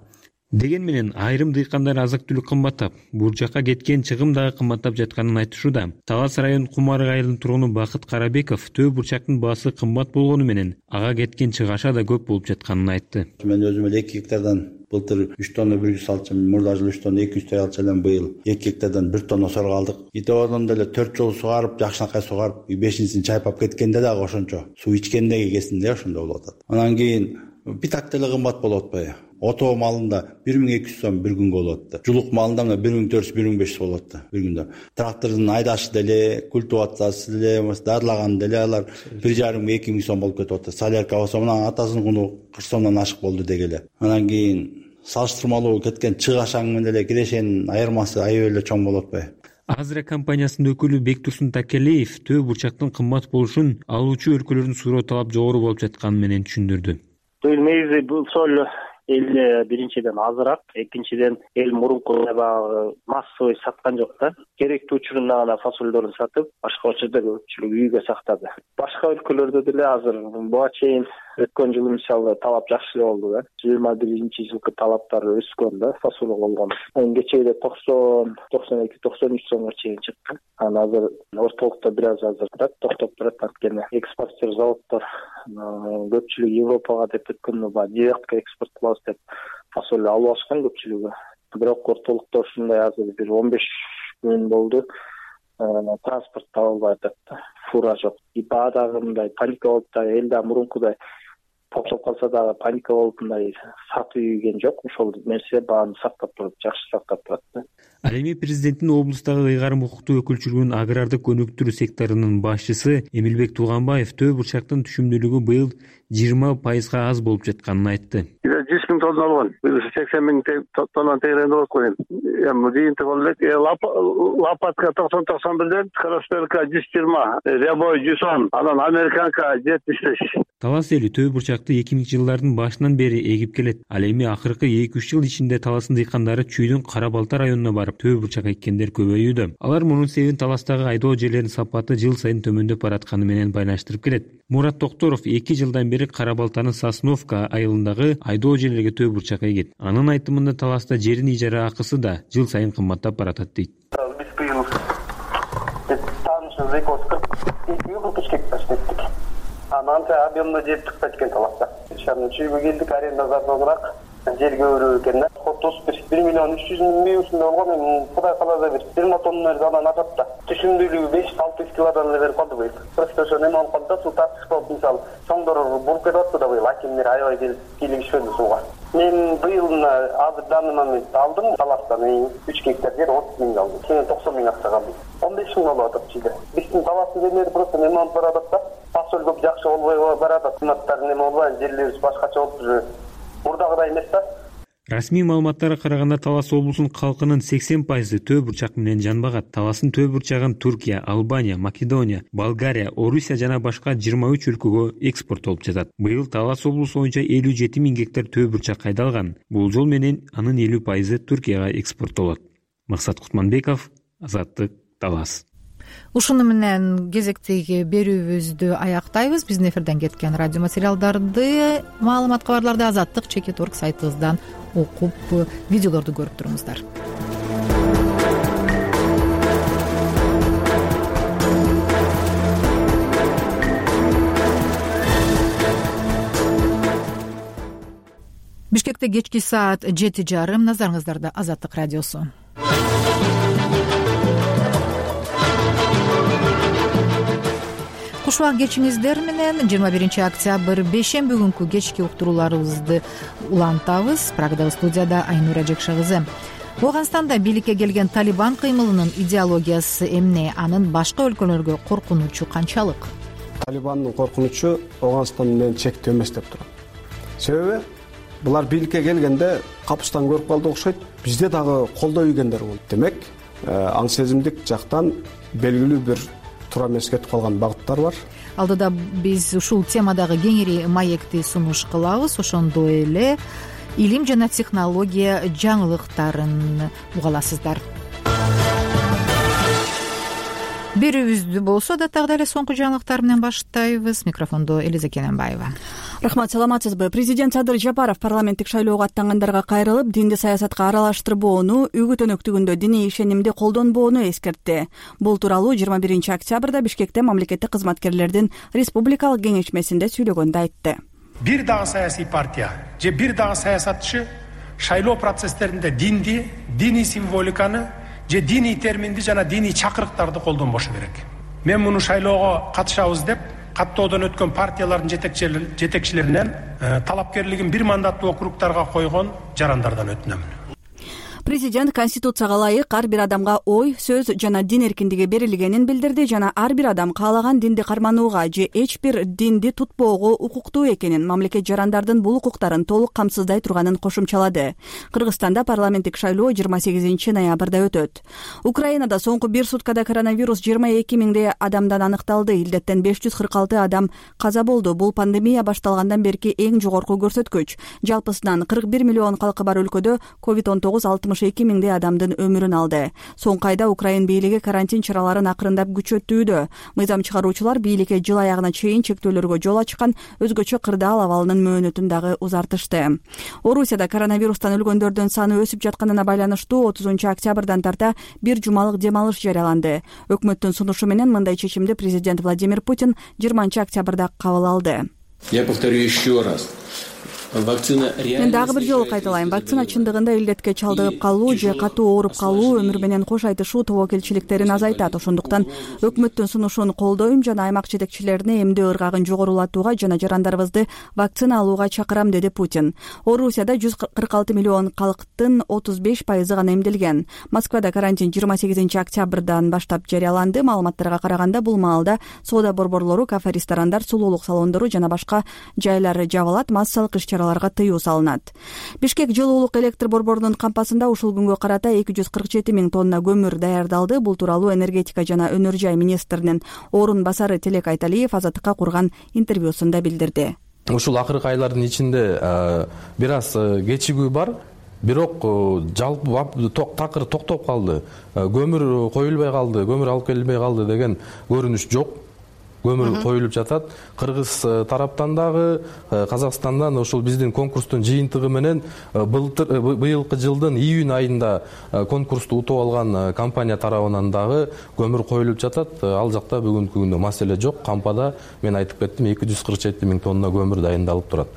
Деген менен айрым дыйкандар азык-түлүк кымбаттап, бурчакка кеткен чыгым дагы кымбаттап жатканын айтышууда. Талас районунун Кумарык айылынын тургуну Бакыт Карабеков төө бурчактын баасы кымбат болгону менен ага кеткен чыгаша да көп болуп жатканын айтты. Мен өзүм эле 2 гектардан былтыр 3 тонна 100 алчам, мурда жылы 3 тонна 200 алчам элем, быйыл 2 гектардан 1 тонна сорго алдык. Итебодон деле 4 жол сугарып, жакшынакай сугарып, 5-син чайпап кеткенде дагы ошончо суу ичкенде кесинде ошондо болуп атат. Анан кийин питак деле кымбат болуп атпайбы? Ото малында 1200 сом bir күнгө болуп атты. Жулук малында 1400-1500 болуп атты bir күндө. Трактордун айдашы деле, культивациясы деле, дарылаган деле алар 1,5-2 сом болуп кетип атты. Солярка болсо мына атасынын куну 40 сомдон ашык болду дегеле. Анан кийин салыштырмалуу кеткен чыгашаң менен деле кирешенин айырмасы аябай эле чоң болуп атпайбы? Азра компаниясынын өкүлү Бектурсун Такелеев төө бурчактын кымбат болушун алуучу өлкөлөрдүн суроо талап жогору болуп жатканы менен түшүндүрдү. Негизи бул соль эл биринчиден азыраак, экинчиден эл мурункудай баягы массовый саткан жок да. Керектүү учурунда гана фасольдорун сатып, башка учурда көпчүлүк үйгө сактады. Башка өлкөлөрдө деле азыр буга чейин өткөн жылы мисалы талап жакшы эле болду да. 21-жылкы талаптар өскөн да, фасольго болгон. Энге чейин 90, 92, 93 сомго чейин чыкты. Анан азыр ортолукта бир аз азырыраак токтоп турат, анткени экспортер заводдор көпчүлүк Европага деп өткөндө баягы директке экспорт кылабыз деп фасоль алып алышкан көпчүлүгү. Бирок ортолукта ушундай азыр бир 15 күн болду. Транспорт табылбай атат да. Фура жок. Баа дагы мындай паника болуп да, эл да мурункудай токтоп калса дагы паника болуп мындай сатып ийген жок. Ошол нерсе бааны сактап туруп, жакшы сактап турат да. Ал эми президенттин облустагы ыйгарым укуктуу өкүлчүлүгүнүн агрардык өнүктүрүү секторунун башчысы Эмилбек Тууганбаев төө бурчактын түшүмдүүлүгү быйыл 20% аз болуп жатканын айтты. 100 миң тонна алган. Быйыл 80 миң тонна тегеренде болуп койгон. Эми жыйынтык болуп элек. Лопатка 90-91ден, Красперка 120, Рябой 110, анан Американка 75. Талас эли төө бурчакты 2000-жылдардын башынан бери эгип келет. Ал эми акыркы 2-3 жыл ичинде Таластын дыйкандары Чүйдүн Кара Балта районуна барып төө бурчак эккендер көбөйүүдө. Алар мунун себебин Таластагы айдоо жерлеринин сапаты жыл сайын төмөндөп баратканы менен байланыштырып келет. Мурат Токторов 2 жылдан бери Кара Балтанын Сосновка айылындагы айдоо жерлерге төө бурчак эгет. Анын айтымында Таласта жерин ижара акысы да жыл сайын кымбаттап баратат дейт. Биз быйыл таанышыбыз 240 гектар иштеттик. Анан объемно жер чыкпайт экен Таласта. Чүйгө келдик, аренда зарданыраак. жерге өрүп экен да. 1,3 миллион ушундай болгон. Эми Кудай кааласа бир 20 тонна анан атат да. Түшүмдүүлүгү 500-600 килодан эле берип калды быйыл. Просто ошо неме болуп калды да, суу тартышпап, мисалы чоңдор буруп кетип атты да быйыл. Акимдер аябай келип кийлигишпеди сууга. Мен быйыл азыр данный момент алдым таластан 3 гектар жер 30 миң алдым. Кийин 90 миң акча калды. 15 миң болуп атат чиде. Биздин таластын жерлери просто неме болуп баратат да. Фасоль көп жакшы болбой баратат. Кыматтар неме болбой, жерлерибиз башкача болуп уже мурдагыдай эмес да. Расмий маалыматтарга караганда Талас облусунун калкынын 80% төө бурчак менен жанбагат. Таластын төө бурчагын Туркия, Албания, Македония, Болгария, Орусия жана башка 23 өлкөгө экспорттолуп жатат. Быйыл Талас облусу боюнча 57 миң гектар төө бурчак кайдалган. Бул жол менен анын 50% Туркияга экспорттолот. Максат Кутманбеков, Азаттык, Талас. Ушуну менен кезектеги берүүбүздү аяктайбыз. Биздин эфирден кеткен радио материалдарды, маалымат кабарларды Азаттык.org сайтыбыздан окуп, видеолорду көрүп туруңуздар. Бишкекте кечки саат 7:30. Назарыңыздарда Азаттык радиосу. Кушубак кечиңиздер менен 21 октябрь бейшемби күнкү кечки уктурууларыбызды улантабыз. Прагадагы студияда Айнура Жекша кызы. Ооганстанда бийликке келген Талибан кыймылынын идеологиясы эмне? Анын башка өлкөлөргө коркунучу канчалык? Талибандын коркунучу Ооганстан менен чектүү эмес деп турат. Себеби булар бийликке келгенде капыстан көрүп калды окшойт. Бизде дагы колдой ийгендер болду. Демек, аң сезимдик жактан белгилүү бир туура эмес кетип калган багыттар бар. Алдыда биз ушул темадагы кеңири маекти сунуш кылабыз. Ошондо эле илим жана технология жаңылыктарын уга аласыздар. Берүүбүздү болсо да дагы эле соңку жаңылыктар менен баштайбыз. Микрофондо Элиза Кененбаева. Рахмат, саламатсызбы? Президент Садыр Жапаров парламенттик шайлоого аттангандарга кайрылып, динди саясатка аралаштырбоону, үгүт өнөктүгүндө диний ишенимди колдонбоону эскертти. Бул тууралуу 21 октябрда Бишкекте мамлекеттик кызматкерлердин республикалык кеңешмесинде сүйлөгөндө айтты. Бир дагы саясий партия же бир дагы саясатчы шайлоо процесстеринде динди, диний символиканы же диний терминди жана диний чакырыктарды колдонбошу керек. Мен муну шайлоого катышабыз деп каттоодон өткөн партиялардын жетекчилеринен талапкерлигин бир мандаттуу округдарга койгон жарандардан өтүнөмүн. Президент Конституцияга ылайык ар бир адамга ой, сөз жана дин эркиндиги берилгенин билдирди жана ар бир адам каалаган динди карманууга же эч бир динди тутпоого укуктуу экенин, мамлекет жарандардын бул укуктарын толук камсыздай турганын кошумчалады. Кыргызстанда парламенттик шайлоо 28 ноябрда өтөт. Украинада соңку бир суткада коронавирус 22 миңдей адамдан аныкталды. Илдеттен 546 адам каза болду. Бул пандемия башталгандан берки эң жогорку көрсөткүч. Жалпысынан 41 миллион калкы бар өлкөдө COVID-19 62 миңдей адамдын өмүрүн алды. Соңку айда Украин бийлиги карантин чараларын акырындап күчөттүүдө. Мыйзам чыгаруучулар бийликке жыл аягына чейин чектөөлөргө жол ачкан, өзгөчө кырдаал абалынын мөөнөтүн дагы узартышты. Орусияда коронавирустан өлгөндөрдүн саны өсүп жатканына байланыштуу 30 октябрдан тарта бир жумалык дем алыш жарыяланды. Өкмөттүн сунушу менен мындай чечимди президент Владимир Путин 20 октябрда кабыл алды. Я повторю еще раз. Мен дагы бир жолу кайталайм. Вакцина чындыгында илдетке чалдыгып калуу же катуу ооруп калуу өмүр менен кош айтышуу тобокелчиликтерин азайтат. Ошондуктан өкмөттүн сунушун колдойм жана аймак жетекчилерине эмдөө ыргагын жогорулатууга жана жарандарыбызды вакцина алууга чакырам, деди Путин. Орусияда 146 миллион калктын 35% гана эмделген. Москвада карантин 28 октябрдан баштап жарыяланды. Маалыматтарга караганда бул маалда соода борборлору, кафе, ресторандар, сулуулук салондору жана башка жайлар жабылат, массалык иш-чараларга тыюу салынат. Бишкек жылуулук электр борборунун кампасында ушул күнгө карата 247 миң тонна көмүр даярдалды. Бул тууралуу энергетика жана өнөр жай министринин орун басары Телек Айталиев Азаттыкка курган интервьюсунда билдирди. Ушул акыркы айлардын ичинде бир аз кечигүү бар. Бирок жалпы такыр токтоп калды. Көмүр коюлбай калды, көмүр алып келинбей калды деген көрүнүш жок. Көмүр коюлуп жатат. Кыргыз тараптан дагы, Казакстандан ошол биздин конкурстун жыйынтыгы менен быйылкы жылдын июнь айында конкурсту утуп алган компания тарабынан дагы көмүр коюлуп жатат. Ал жакта бүгүнкү күндө маселе жок. Кампада мен айтып кеттим, 247 миң тонна көмүр дайындалып турат.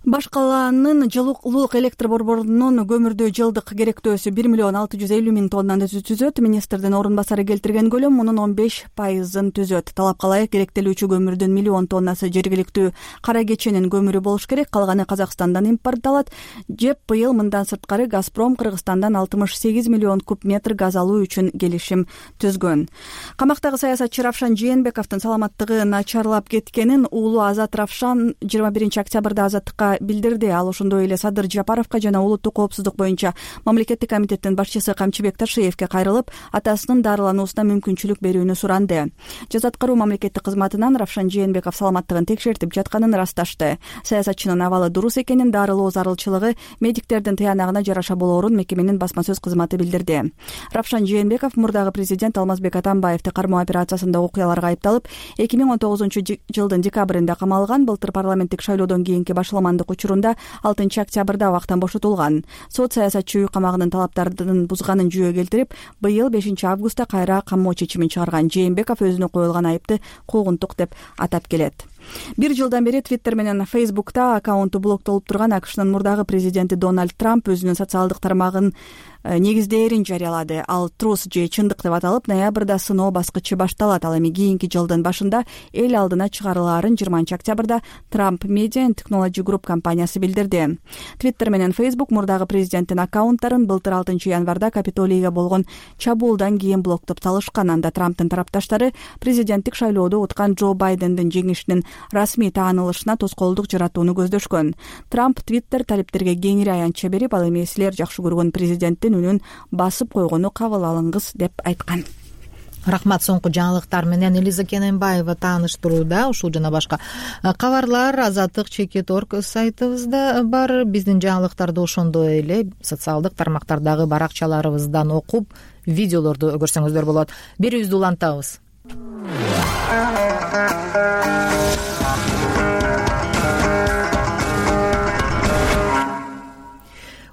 Баш калаанын жылуулук электр борборунун көмүрдү жылдык керектөөсү 1 миллион 650 миң тоннаны түзөт. Министрдин орун басары келтирген көлөм мунун 15%-ын түзөт. Талапка ылайык керектелүүчү көмүрдүн миллион тоннасы жергиликтүү кара кеченин көмүрү болуш керек, калганы Казакстандан импортталат. ЖЭП быйыл мындан сырткары Газпром Кыргызстандан 68 миллион куб метр газ алуу үчүн келишим түзгөн. Камактагы саясатчы Равшан Жээнбековдун саламаттыгы начарлап кеткенин уулу Азат Равшан 21 октябрда Азаттыкка билдирди. Ал ошондой эле Садыр Жапаровго жана улуттук коопсуздук боюнча мамлекеттик комитеттин башчысы Камчыбек Ташиевке кайрылып, атасынын дарылануусуна мүмкүнчүлүк берүүнү суранды. Жаз аткаруу мамлекеттик кызматынан Равшан Жээнбеков саламаттыгын текшертип жатканын ырасташты. Саясатчынын абалы дурус экенин, дарылоо зарылчылыгы медиктердин тыянагына жараша болоорун мекеменин басма сөз кызматы билдирди. Равшан Жээнбеков мурдагы президент Алмазбек Атамбаевди кармоо операциясында окуяларга айыпталып, 2019-жылдын декабрында камалган. Былтыр парламенттик шайлоодон кийинки башаламандык учурунда 6 октябрда абактан бошотулган. Сот саясатчы үй камагынын талаптарын бузганын жүйө келтирип, быйыл 5 августта кайра камоо чечимин чыгарган. Жээнбеков өзүнө коюлган айыпты куугунтук деп атап келет. 1 жылдан бери Twitter менен Facebook'та аккаунту блоктолуп турган АКШнын мурдагы президенти Дональд Трамп өзүнүн социалдык тармагын негиздээрин жарыялады. Ал трус же чындык деп аталып, ноябрда сыноо баскычы башталат. Ал эми кийинки жылдын башында эл алдына чыгарылаарын 20 октябрда Trump Media and Technology Group компаниясы билдирди. Twitter менен Facebook мурдагы президенттин аккаунттарын былтыр 6 январда Капитолийге болгон чабуулдан кийин блоктоп салышкан. Анда Трамптын тарапташтары президенттик шайлоодо уткан Джо Байдендин жеңишинин расмий таанылышына тоскоолдук жаратууну көздөшкөн. Трамп Twitter талиптерге кеңири аянтча берип, ал эми силер жакшы көргөн президенттин үнүн басып койгону кабыл алыңыз деп айткан. Рахмат. Соңку жаңылыктар менен Элиза Кененбаева тааныштырууда. Ушул жана башка кабарлар Азаттык.org сайтыбызда бар. Биздин жаңылыктарды ошондой эле социалдык тармактардагы баракчаларыбыздан окуп, видеолорду көрсөңүздөр болот. Берүүбүздү улантабыз.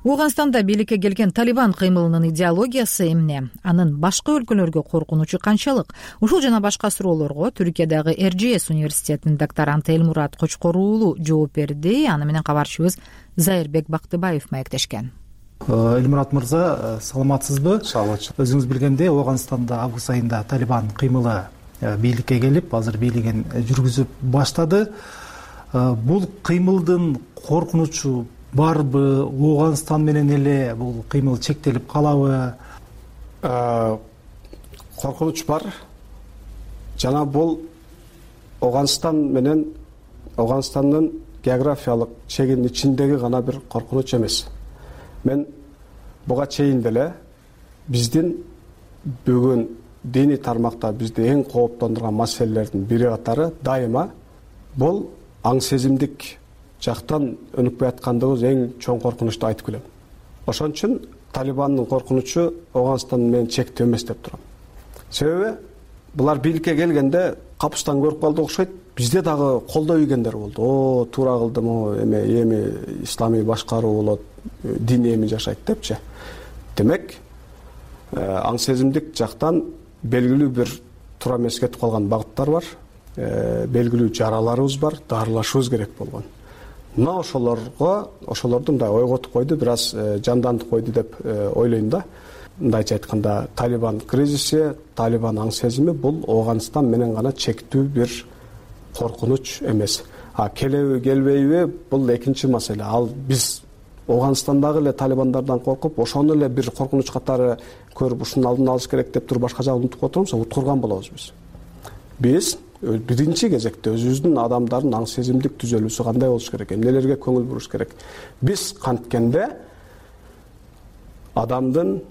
Ооганстанда бийликке келген Талибан кыймылынын идеологиясы эмне? Анын башка өлкөлөргө коркунучу канчалык? Ушул жана башка суроолорго Түркиядагы RGS университетинин докторанты Элмурат Кочкор уулу жооп берди. Аны менен кабарчыбыз Зайырбек Бактыбаев маектешкен. Элмурат мырза, саламатсызбы? Саламатчы. Өзүңүз билгендей, Ооганстанда август айында Талибан кыймылы бийликке келип, азыр бийлигин жүргүзүп баштады. Бул кыймылдын коркунучу барбы? Ооганстан менен эле бул кыймыл чектелип калабы? Коркунуч бар. Жана бул Ооганстан менен Ооганстандын географиялык чегинин ичиндеги гана бир коркунуч эмес. Мен буга чейин деле биздин бүгүн диний тармакта бизди эң кооптондурган маселелердин бири катары дайыма бул аң сезимдик жактан өнүкпөй аткандыгыбыз эң чоң коркунучту айтып келем. Ошон үчүн Талибандын коркунучу Ооганстан менен чектүү эмес деп турам. Себеби булар бийликке келгенде капустан көрүп калды окшойт. Бизде дагы колдоо ийгендер болду. Туура кылдым, эми исламий башкаруу болот, дин эми жашайт депчи. Демек, аң сезимдик жактан белгилүү бир туура эмес кетип калган багыттар бар. Белгилүү жараларыбыз бар, дарылашыбыз керек болгон. Мына ошолорду мындай ойготуп койду, бир аз жандантып койду деп ойлойм да. Мындайча айтканда, Талибан кризиси, Талибан аң сезими бул Ооганстан менен гана чектүү бир коркунуч эмес. Келеби, келбейби бул экинчи маселе. Ал биз Ооганстандагы эле талибандардан коркуп, ошону эле бир коркунуч катары көрүп, ушунун алдын алыш керек деп туруп башка жагын унутуп отурмуз, уткурган болобуз биз. Биз биринчи кезекте өзүбүздүн адамдардын аң сезимдик түзөлүүсү кандай болуш керек, эмнелерге көңүл буруш керек. Биз канткенде адамдын,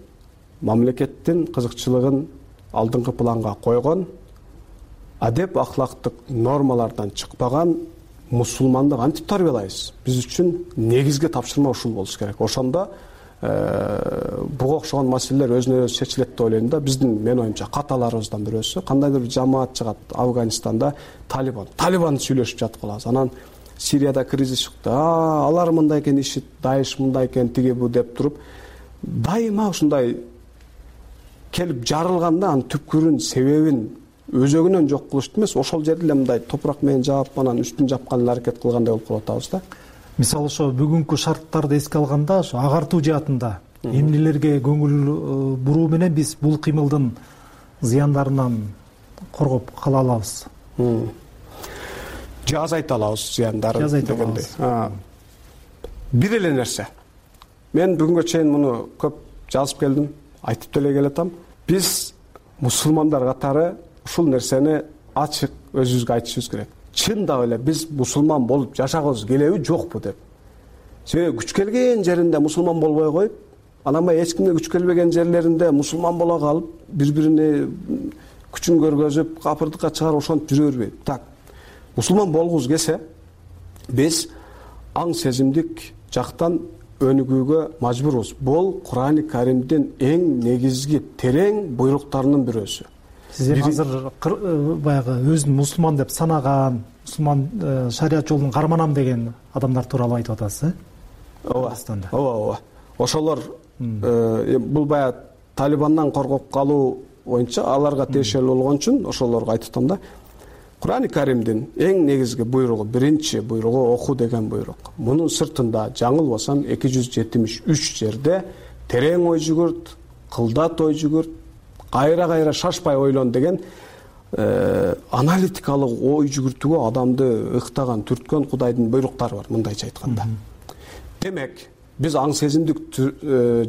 мамлекеттин кызыкчылыгын алдыңкы планга койгон, адеп акылактык нормалардан чыкпаган мусулманды кантип тарбиялайбыз? Биз үчүн негизги тапшырма ушул болуш керек. Ошондо буга окшогон маселелер өзүнө өзү чечилет деп ойлойм да. Биздин, мен оюмча, каталарыбыздан бирөөсү, кандайдыр бир жамаат чыгат Афганистанда, Талибан сүйлөшүп жатып калабыз. Анан Сирияда кризис чыкты. Алар мындай экен, ишит, Даиш мындай экен, тиги бу деп туруп, дайыма ушундай келип жарылганда анын түпкүрүн, себебин өзөгүнөн жок кылышты эмес, ошол жерде эле мындай топурак менен жаап, анан үстүн жапкан эле аракет кылгандай болуп калып атабыз да. мисалы ошо бүгүнкү шарттарды эске алганда ошо агартуу жаатында эмнелерге көңүл буруу менен биз бул кыймылдын зыяндарынан коргоп кала алабыз? Же азайта алабыз зыяндарын дегендей. Бир эле нерсе. Мен бүгүнгө чейин муну көп жазып келдим, айтып деле келатам. Биз мусулмандар катары ушул нерсени ачык өзүбүзгө айтышыбыз керек. Чындап эле биз мусулман болуп жашагыбыз келеби, жокпу деп. Себеби күч келген жеринде мусулман болбой коюп, анан эч кимге күч келбеген жерлеринде мусулман боло калып, бири-бирине күчүн көргөзүп, капырдыкка чыгарып ошентип жүрө бербейт. Так. Мусулман болгубуз келсе, биз аң сезимдик жактан өнүгүүгө мажбурбуз. Бул Кур'ан-ы Каримдин эң негизги терең буйруктарынын бирөөсү. Сиз азыр баягы өзүн мусулман деп санаган, мусулман шарият жолун карманам деген адамдар тууралуу айтып атасыз, Ооба. Ошолор бул баягы Талибандан коргоп калуу боюнча аларга тиешелүү болгон үчүн ошолорго айтып атам да. Кур'ан-ы Каримдин эң негизги буйругу, биринчи буйругу оку деген буйрук. Мунун сыртында жаңылбасам 273 жерде терең ой жүгүрт, кылдат ой жүгүрт, кайра шашпай ойлон деген аналитикалык ой жүгүртүүгө адамды ыктаган, түрткөн Кудайдын буйруктары бар, мындайча айтканда. Демек, биз аң сезимдик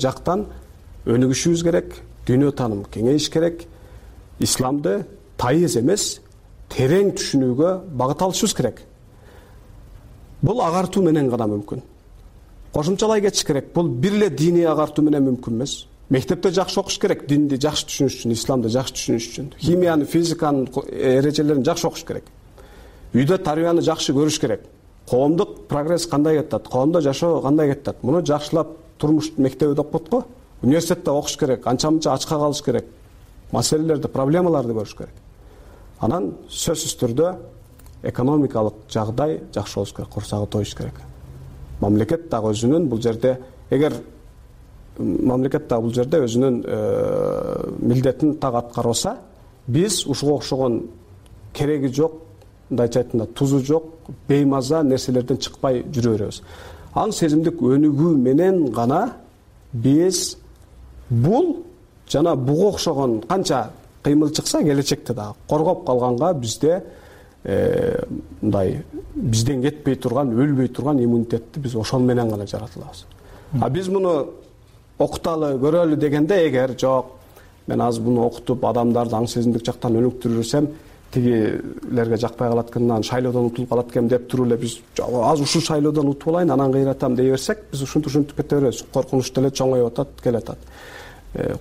жактан өнүгүшүбүз керек, дүйнө тааным кеңейиш керек, исламды тайыз эмес, терең түшүнүүгө багыт алышыбыз керек. Бул агартуу менен гана мүмкүн. Кошумчалай кетиш керек. Бул бир эле диний агартуу менен мүмкүн эмес. Мектепте жакшы окуш керек, динди жакшы түшүнүш үчүн, исламды жакшы түшүнүш үчүн. Химияны, физиканын эрежелерин жакшы окуш керек. Үйдө тарбияны жакшы көрүш керек. Коомдук прогресс кандай кетет, коомдо жашоо кандай кетет. Муну жакшылап турмуш мектебиде окутат го. Университетте окуш керек, анча-мынча ачка калыш керек. Маселелерди, проблемаларды көрүш керек. Анан сөзсүз түрдө экономикалык жагдай жакшы болуш керек, курсагы тоюш керек. Мамлекет дагы өзүнүн бул жерде, эгер мамлекет дагы бул жерде өзүнүн милдетин так аткарбаса, биз ушуга окшогон кереги жок, мындайча айтканда тузу жок, беймаза нерселерден чыкпай жүрө беребиз. Аң сезимдик өнүгүү менен гана биз бул жана буга окшогон канча кыймыл чыкса келечекте дагы коргоп калганга бизде мындай бизден кетпей турган, өлбөй турган иммунитетти биз ошол менен гана жаратылабыз. Биз муну окуталы, көрөлү дегенде эгер жок, мен азыр муну окутуп адамдарды аң сезимдик жактан өнүктүрсөм, тигилерге жакпай калат экен, анан шайлоодон утулуп калат экен деп туруп эле биз азыр ушул шайлоодон утуп алайын, анан кыйратам дей берсек, биз ушинтип кете беребиз. Коркунуч деле чоңоюп атат, келатат.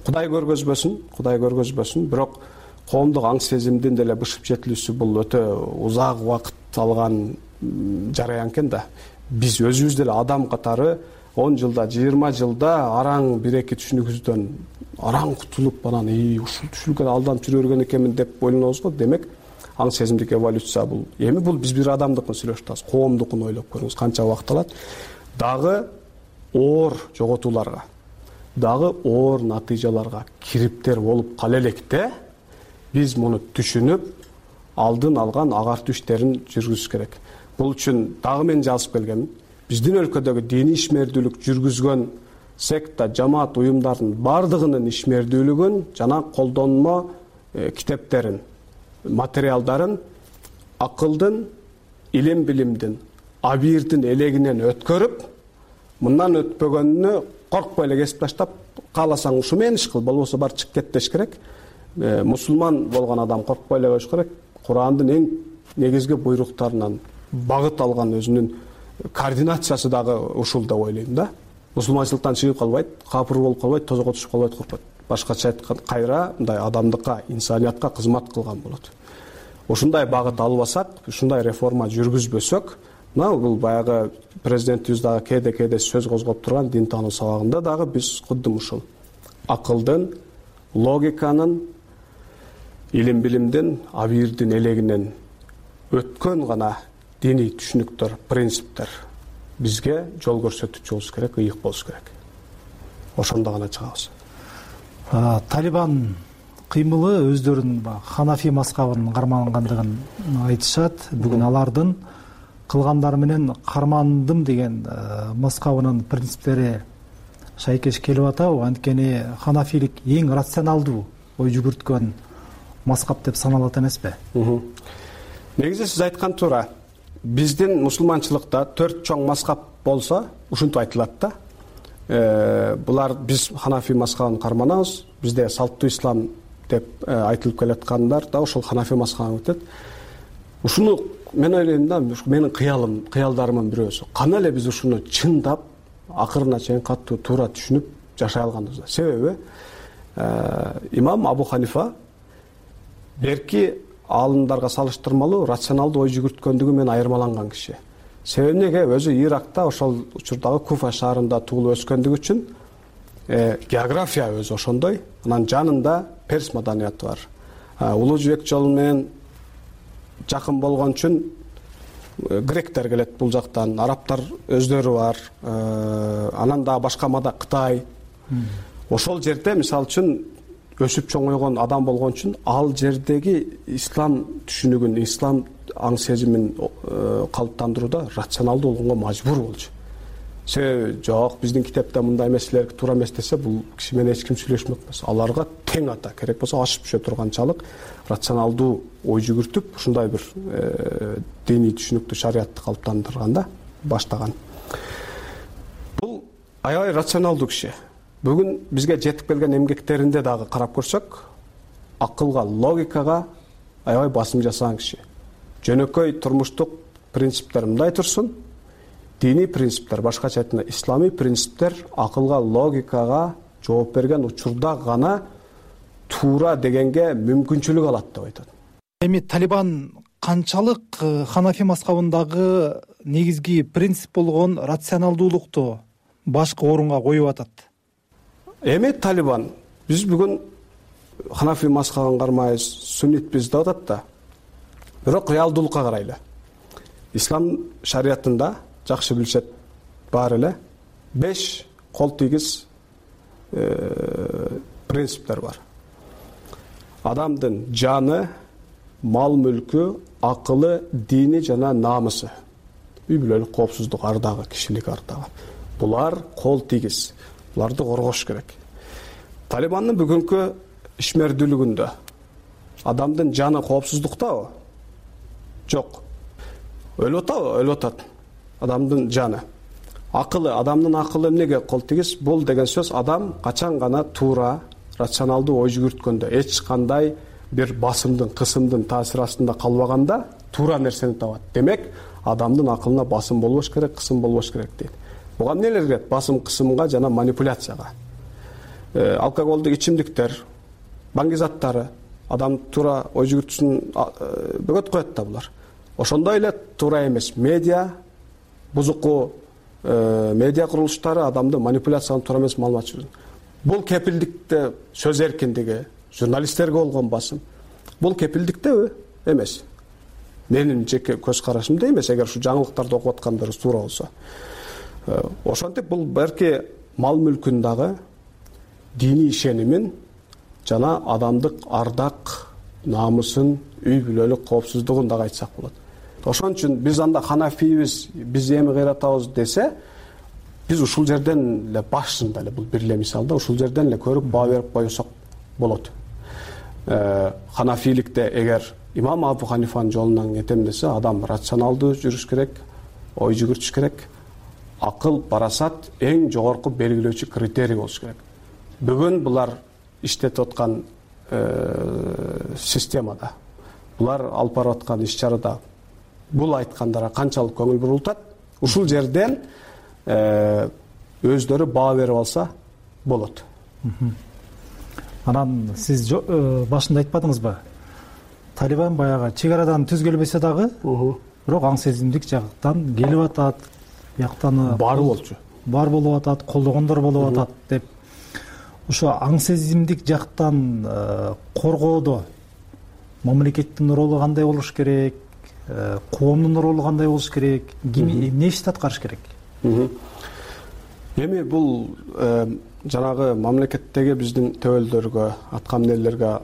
Кудай көргөзбөсүн, бирок коомдук аң сезимдин деле бышып жетилүүсү бул өтө узак убакыт алган жараян экен да. Биз өзүбүз деле адам катары 10 жылда, 20 жылда араң бир-эки түшүнүгүбүздөн араң кутулуп, анан ушул түшүнүккө алданып жүрө берген экенмин деп ойлонобуз го. Демек, аң сезимдик эволюция бул. Эми бул биз бир адамдыкын сүйлөшүп атабыз, коомдукун ойлоп көрүңүз, канча убакыт алат. Дагы оор жоготууларга, дагы оор натыйжаларга кириптер болуп кала электе, биз муну түшүнүп, алдын алган агартуу иштерин жүргүзүш керек. Бул үчүн дагы мен жазып келгенмин. Биздин өлкөдөгү диний ишмердүүлүк жүргүзгөн секта, жамаат уюмдарынын бардыгынын ишмердүүлүгүн жана колдонмо китептерин, материалдарын акылдын, илим-билимдин, абийирдин элегинен өткөрүп, мындан өтпөгөнүнө коркпой эле кесип таштап, кааласаң ушу менен иш кыл, болбосо бар чык кет деш керек. Мусулман болгон адам коркпой эле коюш керек. Курандын эң негизги буйруктарынан багыт алган өзүнүн координациясы дагы ушул деп ойлойм да. Мусулманчылыктан чыгып калбайт, капыр болуп калбайт, тозокко түшүп калбайт, коркпойт. Башкача айтканда, кайра мындай адамдыкка, инсаниятка кызмат кылган болот. Ушундай багыт албасак, ушундай реформа жүргүзбөсөк, мына бул баягы президентибиз дагы кээде сөз козгоп турган дин таануу сабагында дагы биз кудум ушул акылдын, логиканын, илим-билимдин, абийирдин элегинен өткөн гана диний түшүнүктөр, принциптер бизге жол көрсөтүүчү болуш керек, ыйык болуш керек. Ошондо гана чыгабыз. Талибан кыймылы өздөрүнүн Ханафи мазхабынын кармангандыгын айтышат. Бүгүн алардын кылгандары менен кармандым деген мазхабынын принциптери шайкеш келип атабы? Анткени ханафилик эң рационалдуу ой жүгүрткөн мазхаб деп саналат эмеспи? Негизи сиз айткан туура. Биздин мусулманчылыкта 4 чоң мазхаб болсо, ушинтип айтылат да. Булар биз ханафи мазхабын карманабыз. Бизде салттуу ислам деп айтылып келаткандар да ошол ханафи мазхабына өтөт. Ушуну мен ойлойм да, менин кыялдарымын бирөөсү. Кана эле биз ушуну чындап, акырына чейин катуу туура түшүнүп жашай алганбыз. Себеби имам Абу Ханифа берки аалымдарга салыштырмалуу рационалдуу ой жүгүрткөндүгү менен айырмаланган киши. Себеби неге? Өзү Иракта ошол учурдагы Куфа шаарында туулуп өскөндүгү үчүн география өзү ошондой. Анан жанында перс маданияты бар. Улуу жибек жолу менен жакын болгон үчүн гректер келет бул жактан, арабтар өздөрү бар. Анан дагы башка Кытай. Ошол жерде мисалы үчүн өсүп чоңойгон адам болгон үчүн ал жердеги ислам түшүнүгүн, ислам аң сезимин калыптандырууда рационалдуу болгонго мажбур болчу. Себеби жок, биздин китепте мындай эмеселер туура эмес десе, бул киши менен эч ким сүйлөшмөк эмес. Аларга тең ата, керек болсо ашып түшө турганчалык рационалдуу ой жүгүртүп, ушундай бир диний түшүнүктү, шариятты калыптандырганда баштаган. Бул аябай рационалдуу киши. Бүгүн бизге жетип келген эмгектеринде дагы карап көрсөк, акылга, логикага аябай басым жасаган киши. Жөнөкөй турмуштук принциптер мындай турсун, диний принциптер, башкача айтканда исламий принциптер акылга, логикага жооп берген учурда гана туура дегенге мүмкүнчүлүк алат деп айтат. Эми Талибан канчалык ханафи мазхабындагы негизги принцип болгон рационалдуулукту башкы орунга коюп атат? Эми Талибан биз бүгүн ханафи мазхабын кармайбыз, суннитпиз деп атат да. Бирок реалдуулукка карайлы. Ислам шариятында жакшы билишет баары эле 5 кол тийгиз принциптер бар. Адамдын жаны, мал мүлкү, акылы, дини жана намысы. Үй бүлөлүк коопсуздук ардагы, кишилик ардагы. Булар кол тийгиз. Буларды коргош керек. Талибандын бүгүнкү ишмердүүлүгүндө адамдын жаны коопсуздуктабы? Жок. Өлүп атабы? Өлүп атат. Адамдын жаны. Акылы, адамдын акылы эмнеге кол тийгиз? Бул деген сөз адам качан гана туура, рационалдуу ой жүгүрткөндө, эч кандай бир басымдын, кысымдын таасир астында калбаганда туура нерсени табат. Демек, адамдын акылына басым болбош керек, кысым болбош керек дейт. Буга эмнелер кирет? Басым, кысымга жана манипуляцияга. Алкоголдук ичимдиктер, баңгизаттары адам туура ой жүгүртүүсүн бөгөт коет да булар. Ошондой эле туура эмес медиа, бузуку медиа курулуштары адамды манипуляцияга туура эмес маалымат жүргүзөт. Бул кепилдикте сөз эркиндиги, журналисттерге болгон басым. Бул кепилдиктеби? Эмес. Менин жеке көз карашымда эмес, эгер ушу жаңылыктарды окуп аткандарыбыз туура болсо. Ошентип бул берки мал мүлкүн дагы, диний ишенимин жана адамдык ардак, намысын, үй бүлөлүк коопсуздугун дагы айтсак болот. Ошон үчүн биз анда ханафийбиз, биз эми кыйратабыз десе, биз ушул жерден эле башында эле бул бир эле мисалда ушул жерден эле көрүп баа берип койсок болот. Ханафиликте эгер имам Абу Ханифанын жолунан кетем десе, адам рационалдуу жүрүш керек, ой жүгүртүш керек. Акыл, парасат эң жогорку белгилөөчү критерий болуш керек. Бүгүн булар иштетип аткан системада, булар алып барып аткан иш-чарада бул айткандарга канчалык көңүл бурултат? Ушул жерден өздөрү баа берип алса болот. Анан сиз башында айтпадыңызбы? Талибан баягы чек арадан түз келбесе дагы, бирок аң сезимдик жактан келип атат, бияктан бар болчу. Бар болуп атат, колдогондор болуп атат деп. Ошо аң сезимдик жактан коргоодо мамлекеттин ролу кандай болуш керек? Коомдун ролу кандай болуш керек? Ким эмне ишти аткарыш керек? Эми бул жанагы мамлекеттеги биздин төбөлдөргө, аткам нелерге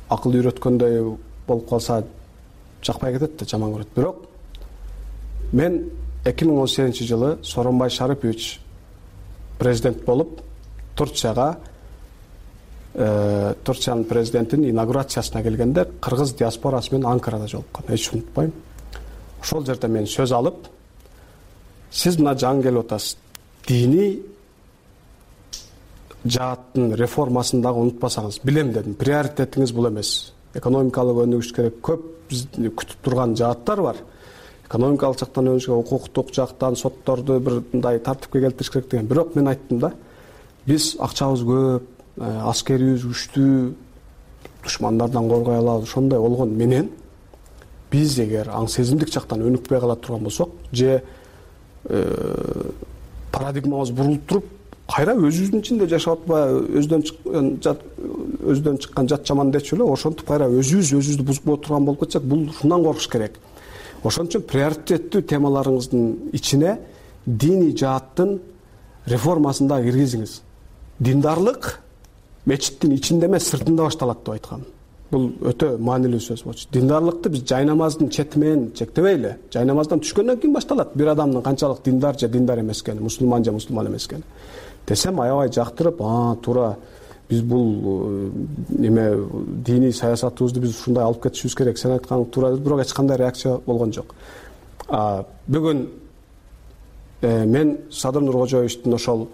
акыл үйрөткөндөй болуп калса жакпай кетет да, жаман көрөт. Бирок мен 2018-жылы Сооронбай Шарипович президент болуп Турциянын президентинин инаугурациясына келгенде кыргыз диаспорасы менен Анкарада жолуккан. Эч унутпайм. Ошол жерде мен сөз алып, сиз мына жаңы келип атасыз. Диний жааттын реформасын дагы унутпасаңыз, билем дедим. Приоритетиңиз бул эмес. Экономикалык өнүгүш керек. Көп бизди күтүп турган жааттар бар. Экономикалык жактан өнүгүш, укуктук жактан сотторду бир мындай тартипке келтириш керек деген. Бирок мен айттым да, биз акчабыз көп, аскерибиз күчтүү, душмандардан коргой алабыз. Ошондой болгон менен биз эгер аң сезимдик жактан өнүкпөй кала турган болсок, же парадигмабыз бурулуп туруп, кайра өзүбүздүн ичинде жашап атпайбы, өзүдөн чыккан жат жаман дечү эле, ошентип кайра өзүбүздү бузуп турган болуп кетсек, бул ушундан коркуш керек. Ошон үчүн приоритеттүү темаларыңыздын ичине диний жааттын реформасын да киргизиңиз. Диндарлык мечиттин ичинде эмес, сыртында башталат деп айткам. Бул өтө маанилүү сөз болчу. Диндарлыкты биз жай намаздын чети менен чектебейли. Жай намаздан түшкөндөн кийин башталат бир адамдын канчалык диндар же диндар эмес экени, мусулман же мусулман эмес экени. Десем аябай жактырып, туура биз бул неме диний саясатыбызды биз ушундай алып кетишибиз керек. Сен айтканың туура, бирок эч кандай реакция болгон жок. Бүгүн мен Садыр Нуркожоевичтин ошол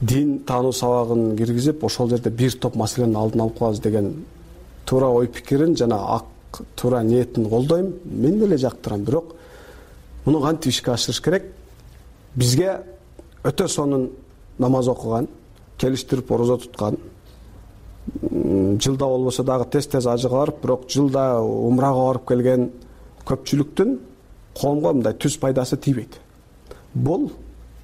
дин таануу сабагын киргизип, ошол жерде бир топ маселенин алдын алып коебуз деген туура ой пикирин жана туура ниетин колдойм. Мен деле жактырам, бирок муну кантип ишке ашырыш керек? Бизге өтө сонун намаз окуган, келиштирип орозо туткан, жылда болбосо дагы тез ажыга барып, бирок жылда умрага барып келген көпчүлүктүн коомго мындай түз пайдасы тийбейт. Бул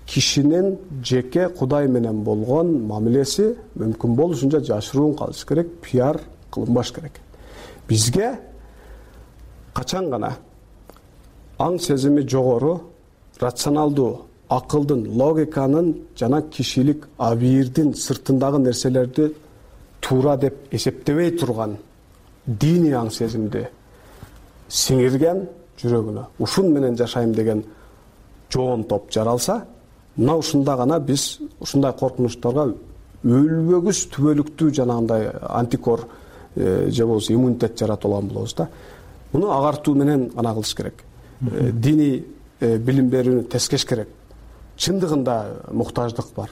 кишинин жеке Кудай менен болгон мамилеси мүмкүн болушунча жашыруун калыш керек, пиар кылынбаш керек. Бизге качан гана аң сезими жогору, рационалдуу, акылдын, логиканын жана кишилик абийирдин сыртындагы нерселерди туура деп эсептебей турган диний аң сезимди сиңирген жүрөгүнө ушун менен жашайм деген жоон топ жаралса, мына ушунда гана биз ушундай коркунучтарга өлбөгүс түбөлүктүү жанагындай антикор же болбосо иммунитет жаратып алган болобуз да. Муну агартуу менен гана кылыш керек. Диний билим берүүнү тескеш керек. Чындыгында муктаждык бар.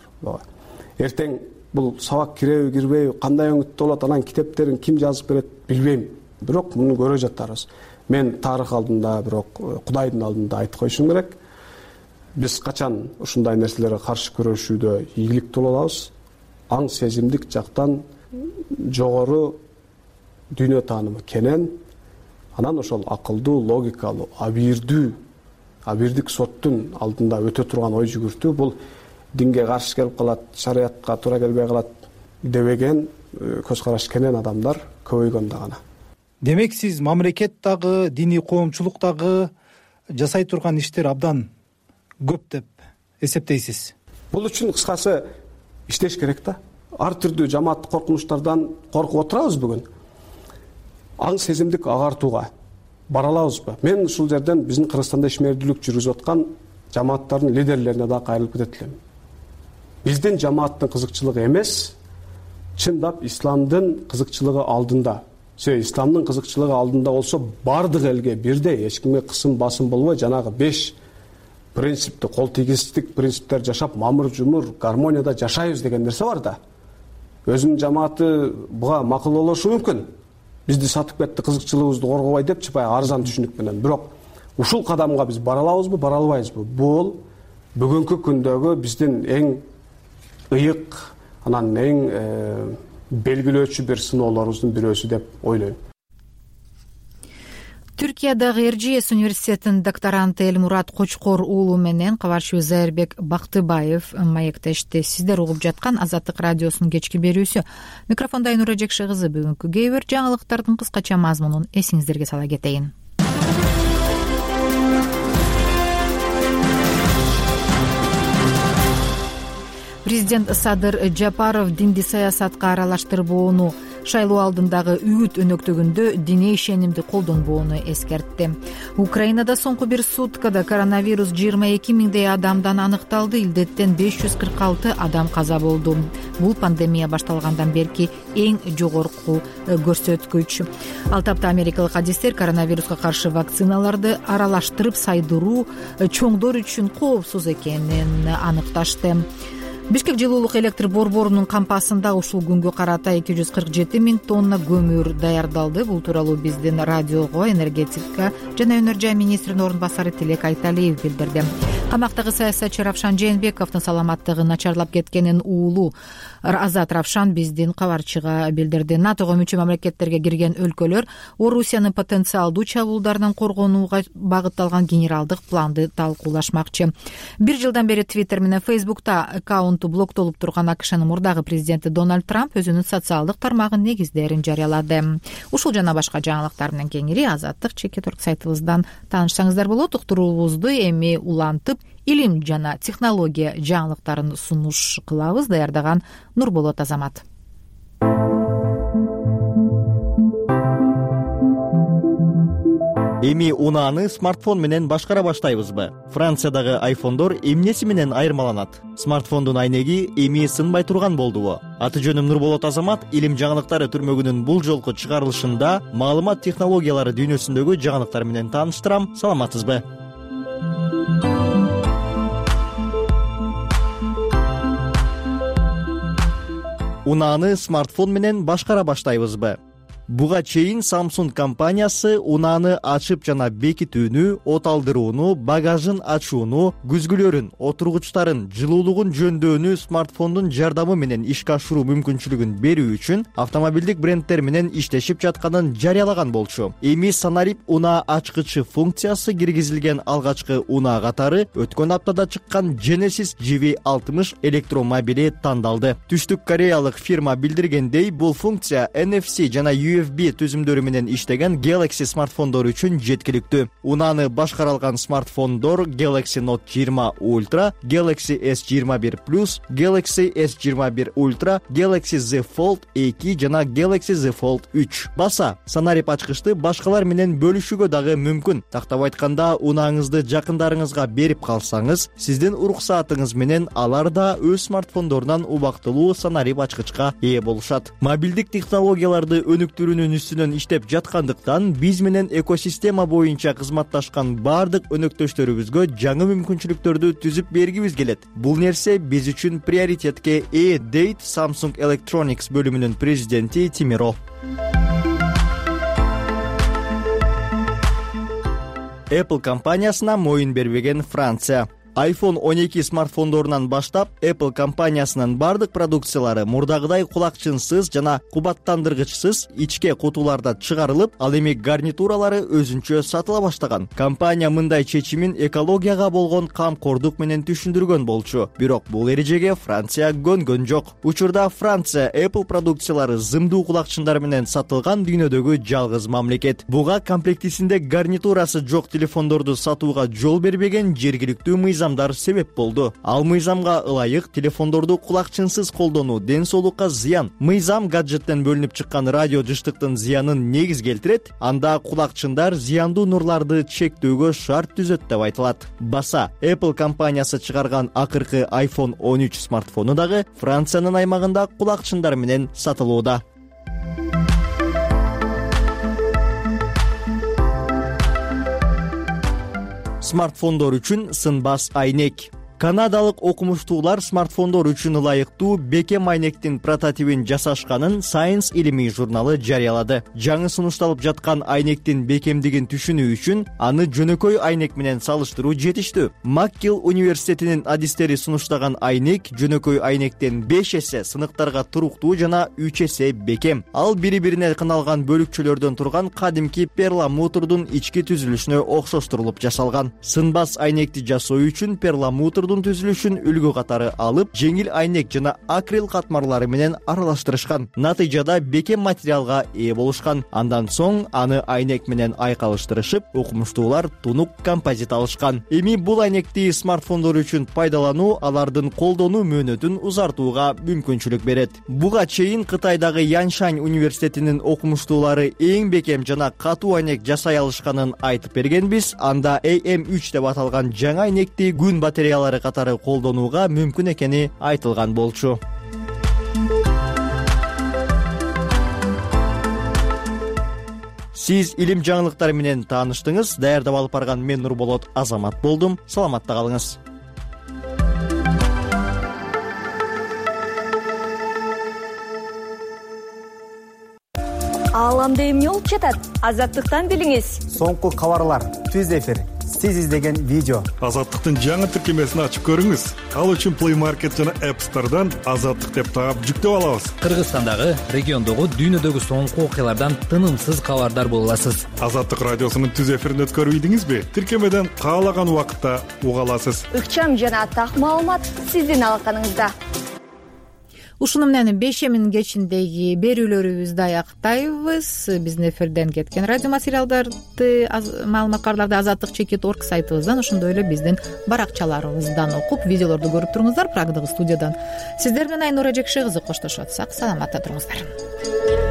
Эртең бул сабак киреби, кирбейби, кандай өңүттө болот, анан китептерин ким жазып берет билбейм. Бирок муну көрө жатарбыз. Мен тарых алдында, бирок Кудайдын алдында айтып коюшум керек. Биз качан ушундай нерселерге каршы күрөшүүдө ийгиликтүү боло алабыз? Аң сезимдик жактан жогору дүйнө таанымы кенен, анан ошол акылдуу, логикалуу, абийирдик соттун алдында өтө турган ой жүгүртүү, бул динге каршы келип калат, шариятка туура келбей калат дебеген көз караш кенен адамдар көбөйгөндө гана. Демек сиз мамлекет дагы, диний коомчулук дагы жасай турган иштер абдан көп деп эсептейсиз? Бул үчүн кыскасы иштеш керек да. Ар түрдүү жамааттык коркунучтардан коркуп отурабыз бүгүн. Аң сезимдик агартууга бара алабызбы? Мен ушул жерден биздин Кыргызстанда ишмердүүлүк жүргүзүп аткан жамааттардын лидерлерине да кайрылып кетет элем. Биздин жамааттын кызыкчылыгы эмес, чындап исламдын кызыкчылыгы алдында. Исламдын кызыкчылыгы алдында болсо бардык элге бирдей, эч кимге кысым басым болбой, жанагы 5 принципти, кол тийгизтик принциптер жашап, мамыр жумур гармонияда жашайбыз деген нерсе бар да. Өзүнүн жамааты буга макул болушу мүмкүн. Бизди сатып кетти, кызыкчылыгыбызды коргобой депчи, баягы арзан түшүнүк менен. Бирок ушул кадамга биз бара алабызбы, бара албайбызбы? Бул бүгүнкү күндөгү биздин эң ыйык, анан эң белгилөөчү бир сыноолорубуздун бирөөсү деп ойлойм. Түркиядагы Эржиес университетинин докторанты Элмурат Кочкор уулу менен кабарчыбыз Зайырбек Бактыбаев маектешти. Сиздер угуп жаткан Азаттык радиосунун кечки берүүсү. Микрофонда Айнура Жекше кызы. Бүгүнкү кээ бир жаңылыктардын кыскача мазмунун эсиңиздерге сала кетейин. Президент Садыр Жапаров динди саясатка аралаштырбоону шайлоо алдындагы үгүт өнөктөгүндө диний ишенимди колдонбоону эскертти. Украинада соңку бир суткада коронавирус 22 миңдей адамдан аныкталды. Илдеттен 546 адам каза болду. Бул пандемия башталгандан берки эң жогорку көрсөткүч. Ал тапта америкалык адистер коронавируска каршы вакциналарды аралаштырып сайдыруу чоңдор үчүн коопсуз экенин аныкташты. Бишкек жылуулук электр борборунун кампасында ушул күнгө карата 247 миң тонна көмүр даярдалды. Бул тууралуу биздин радиого энергетика жана өнөр жай министринин орун басары Тилек Айталиев билдирди. Камактагы саясатчы Равшан Жээнбековдун саламаттыгы начарлап кеткенин уулу Азат Равшан биздин кабарчыга билдирди. НАТОго мүчө мамлекеттерге кирген өлкөлөр Орусиянын потенциалдуу чабуулдарынан коргонууга багытталган генералдык планды талкуулашмакчы. Бир жылдан бери Twitter менен Facebook'та аккаунту блоктолуп турган АКШнын мурдагы президенти Дональд Трамп өзүнүн социалдык тармагынын негиздерин жарыялады. Ушул жана башка жаңылыктар менен кеңири Азаттык Чекет.орг сайтыбыздан таанышсаңыздар болот. Уктуруубузду эми улантып илим жана технология жаңылыктарын сунуш кылабыз. Даярдаган Нурболот Азамат. Эми унааны смартфон менен башкара баштайбызбы? Франциядагы айфондор эмнеси менен айырмаланат? Смартфондун айнеги эми сынбай турган болдубу? Аты жөнүм Нурболот Азамат. Илим жаңылыктары түрмөгүнүн бул жолку чыгарылышында маалымат технологиялары дүйнөсүндөгү жаңылыктар менен тааныштырам. Саламатсызбы? Унааны смартфон менен башкара баштайбызбы? Буга чейин Samsung компаниясы унааны ачып жана бекитүүнү, от алдырууну, багажын ачууну, күзгүлөрүн, отургучтарын, жылуулугун жөндөөнү смартфондун жардамы менен ишке ашыруу мүмкүнчүлүгүн берүү үчүн автомобилдик бренддер менен иштешип жатканын жарыялаган болчу. Эми санарип унаа ачкычы функциясы киргизилген алгачкы унаа катары өткөн аптада чыккан Genesis GV60 электромобили тандалды. Түштүк Кореялык фирма билдиргендей, бул функция NFC жана USB түзүмдөрү менен иштеген Galaxy смартфондор үчүн жеткиликтүү. Унааны башкара алган смартфондор Galaxy Note 20 Ultra, Galaxy S21 Plus, Galaxy S21 Ultra, Galaxy Z Fold 2 жана Galaxy Z Fold 3. Баса, санарип ачкычты башкалар менен бөлүшүүгө дагы мүмкүн. Тактап айтканда, унааңызды жакындарыңызга берип калсаңыз, сиздин уруксаатыңыз менен алар да өз смартфондорунан убактылуу санарип ачкычка ээ болушат. Мобилдик технологияларды өнүктүрүүнүн үстүнөн иштеп жаткандыктан биз менен экосистема боюнча кызматташкан бардык өнөктөштөрүбүзгө жаңы мүмкүнчүлүктөрдү түзүп бергибиз келет. Бул нерсе биз үчүн приоритетке ээ, дейт Samsung Electronics бөлүмүнүн президенти Тимиро. Apple компаниясына моюн бербеген Франция. iPhone 12 смартфондорунан баштап Apple компаниясынын бардык продукциялары мурдагыдай кулакчынсыз жана кубаттандыргычсыз ичке кутуларда чыгарылып, ал эми гарнитуралары өзүнчө сатыла баштаган. Компания мындай чечимин экологияга болгон камкордук менен түшүндүргөн болчу. Бирок бул эрежеге Франция көнгөн жок. Учурда Франция Apple продукциялары зымдуу кулакчындар менен сатылган дүйнөдөгү жалгыз мамлекет. Буга комплектисинде гарнитурасы жок телефондорду сатууга жол бербеген жергиликтүү мыйзам себеп болду. Ал мыйзамга ылайык телефондорду кулакчынсыз колдонуу ден соолукка зыян. Мыйзам гаджеттен бөлүнүп чыккан радио жыштыктын зыянын негиз келтирет, анда кулакчындар зыяндуу нурларды чектөөгө шарт түзөт деп айтылат. Баса, Apple компаниясы чыгарган акыркы iPhone 13 смартфону дагы Франциянын аймагында кулакчындар менен сатылууда. Смартфондор үчүн сынбас айнек. Канадалык окумуштуулар смартфондор үчүн ылайыктуу бекем айнектин прототипин жасашканын Science илимий журналы жарыялады. Жаңы сунушталып жаткан айнектин бекемдигин түшүнүү үчүн аны жөнөкөй айнек менен салыштыруу жетиштүү. МакГилл университетинин адистери сунуштаган айнек жөнөкөй айнектен 5 эсе сыныктарга туруктуу жана 3 эсе бекем. Ал бири-бирине кыналган бөлүкчөлөрдөн турган кадимки перламутрдун ички түзүлүшүнө окшоштурулуп жасалган. Сынбас айнекти жасоо үчүн перламутр контурдун түзүлүшүн үлгү катары алып, жеңил айнек жана акрил катмарлары менен аралаштырышкан. Натыйжада бекем материалга ээ болушкан. Андан соң аны айнек менен айкалыштырышып, окумуштуулар тунук композит алышкан. Эми бул айнекти смартфондор үчүн пайдалануу алардын колдонуу мөөнөтүн узартууга мүмкүнчүлүк берет. Буга чейин Кытайдагы Яншань университетинин окумуштуулары эң бекем жана катуу айнек жасай алышканын айтып бергенбиз. Анда AM3 деп аталган жаңы айнекти күн батареялары катары колдонууга мүмкүн экени айтылган болчу. Сиз илим жаңылыктары менен тааныштыңыз. Даярдап алып барган мен Нурболот Азамат болдум. Саламатта калыңыз. Ааламда эмне болуп жатат? Азаттыктан билиңиз. Соңку кабарлар, түз эфир, сиз издеген видео. Азаттыктын жаңы тиркемесин ачып көрүңүз. Ал үчүн Play Market жана App Store'дан Азаттык деп таап жүктөп алабыз. Кыргызстандагы, региондогу, дүйнөдөгү соңку окуялардан тынымсыз кабардар боло аласыз. Азаттык радиосунун түз эфирин өткөрүп ийдиңизби? Тиркемеден каалаган убакытта уга аласыз. Ыкчам жана так маалымат сиздин алаканыңызда. Ушуну менен 5-минин кечиндеги берүүлөрүбүздү аяктайбыз. Биздин эфирден кеткен радио материалдарды, маалыматтарды azattik.org сайтыбыздан, ошондой эле биздин баракчаларыбыздан окуп, видеолорду көрүп туруңуздар. Прагдагы студиядан сиздер менен Айнура Жекши кызы коштошуп атсак, саламатта туруңуздар.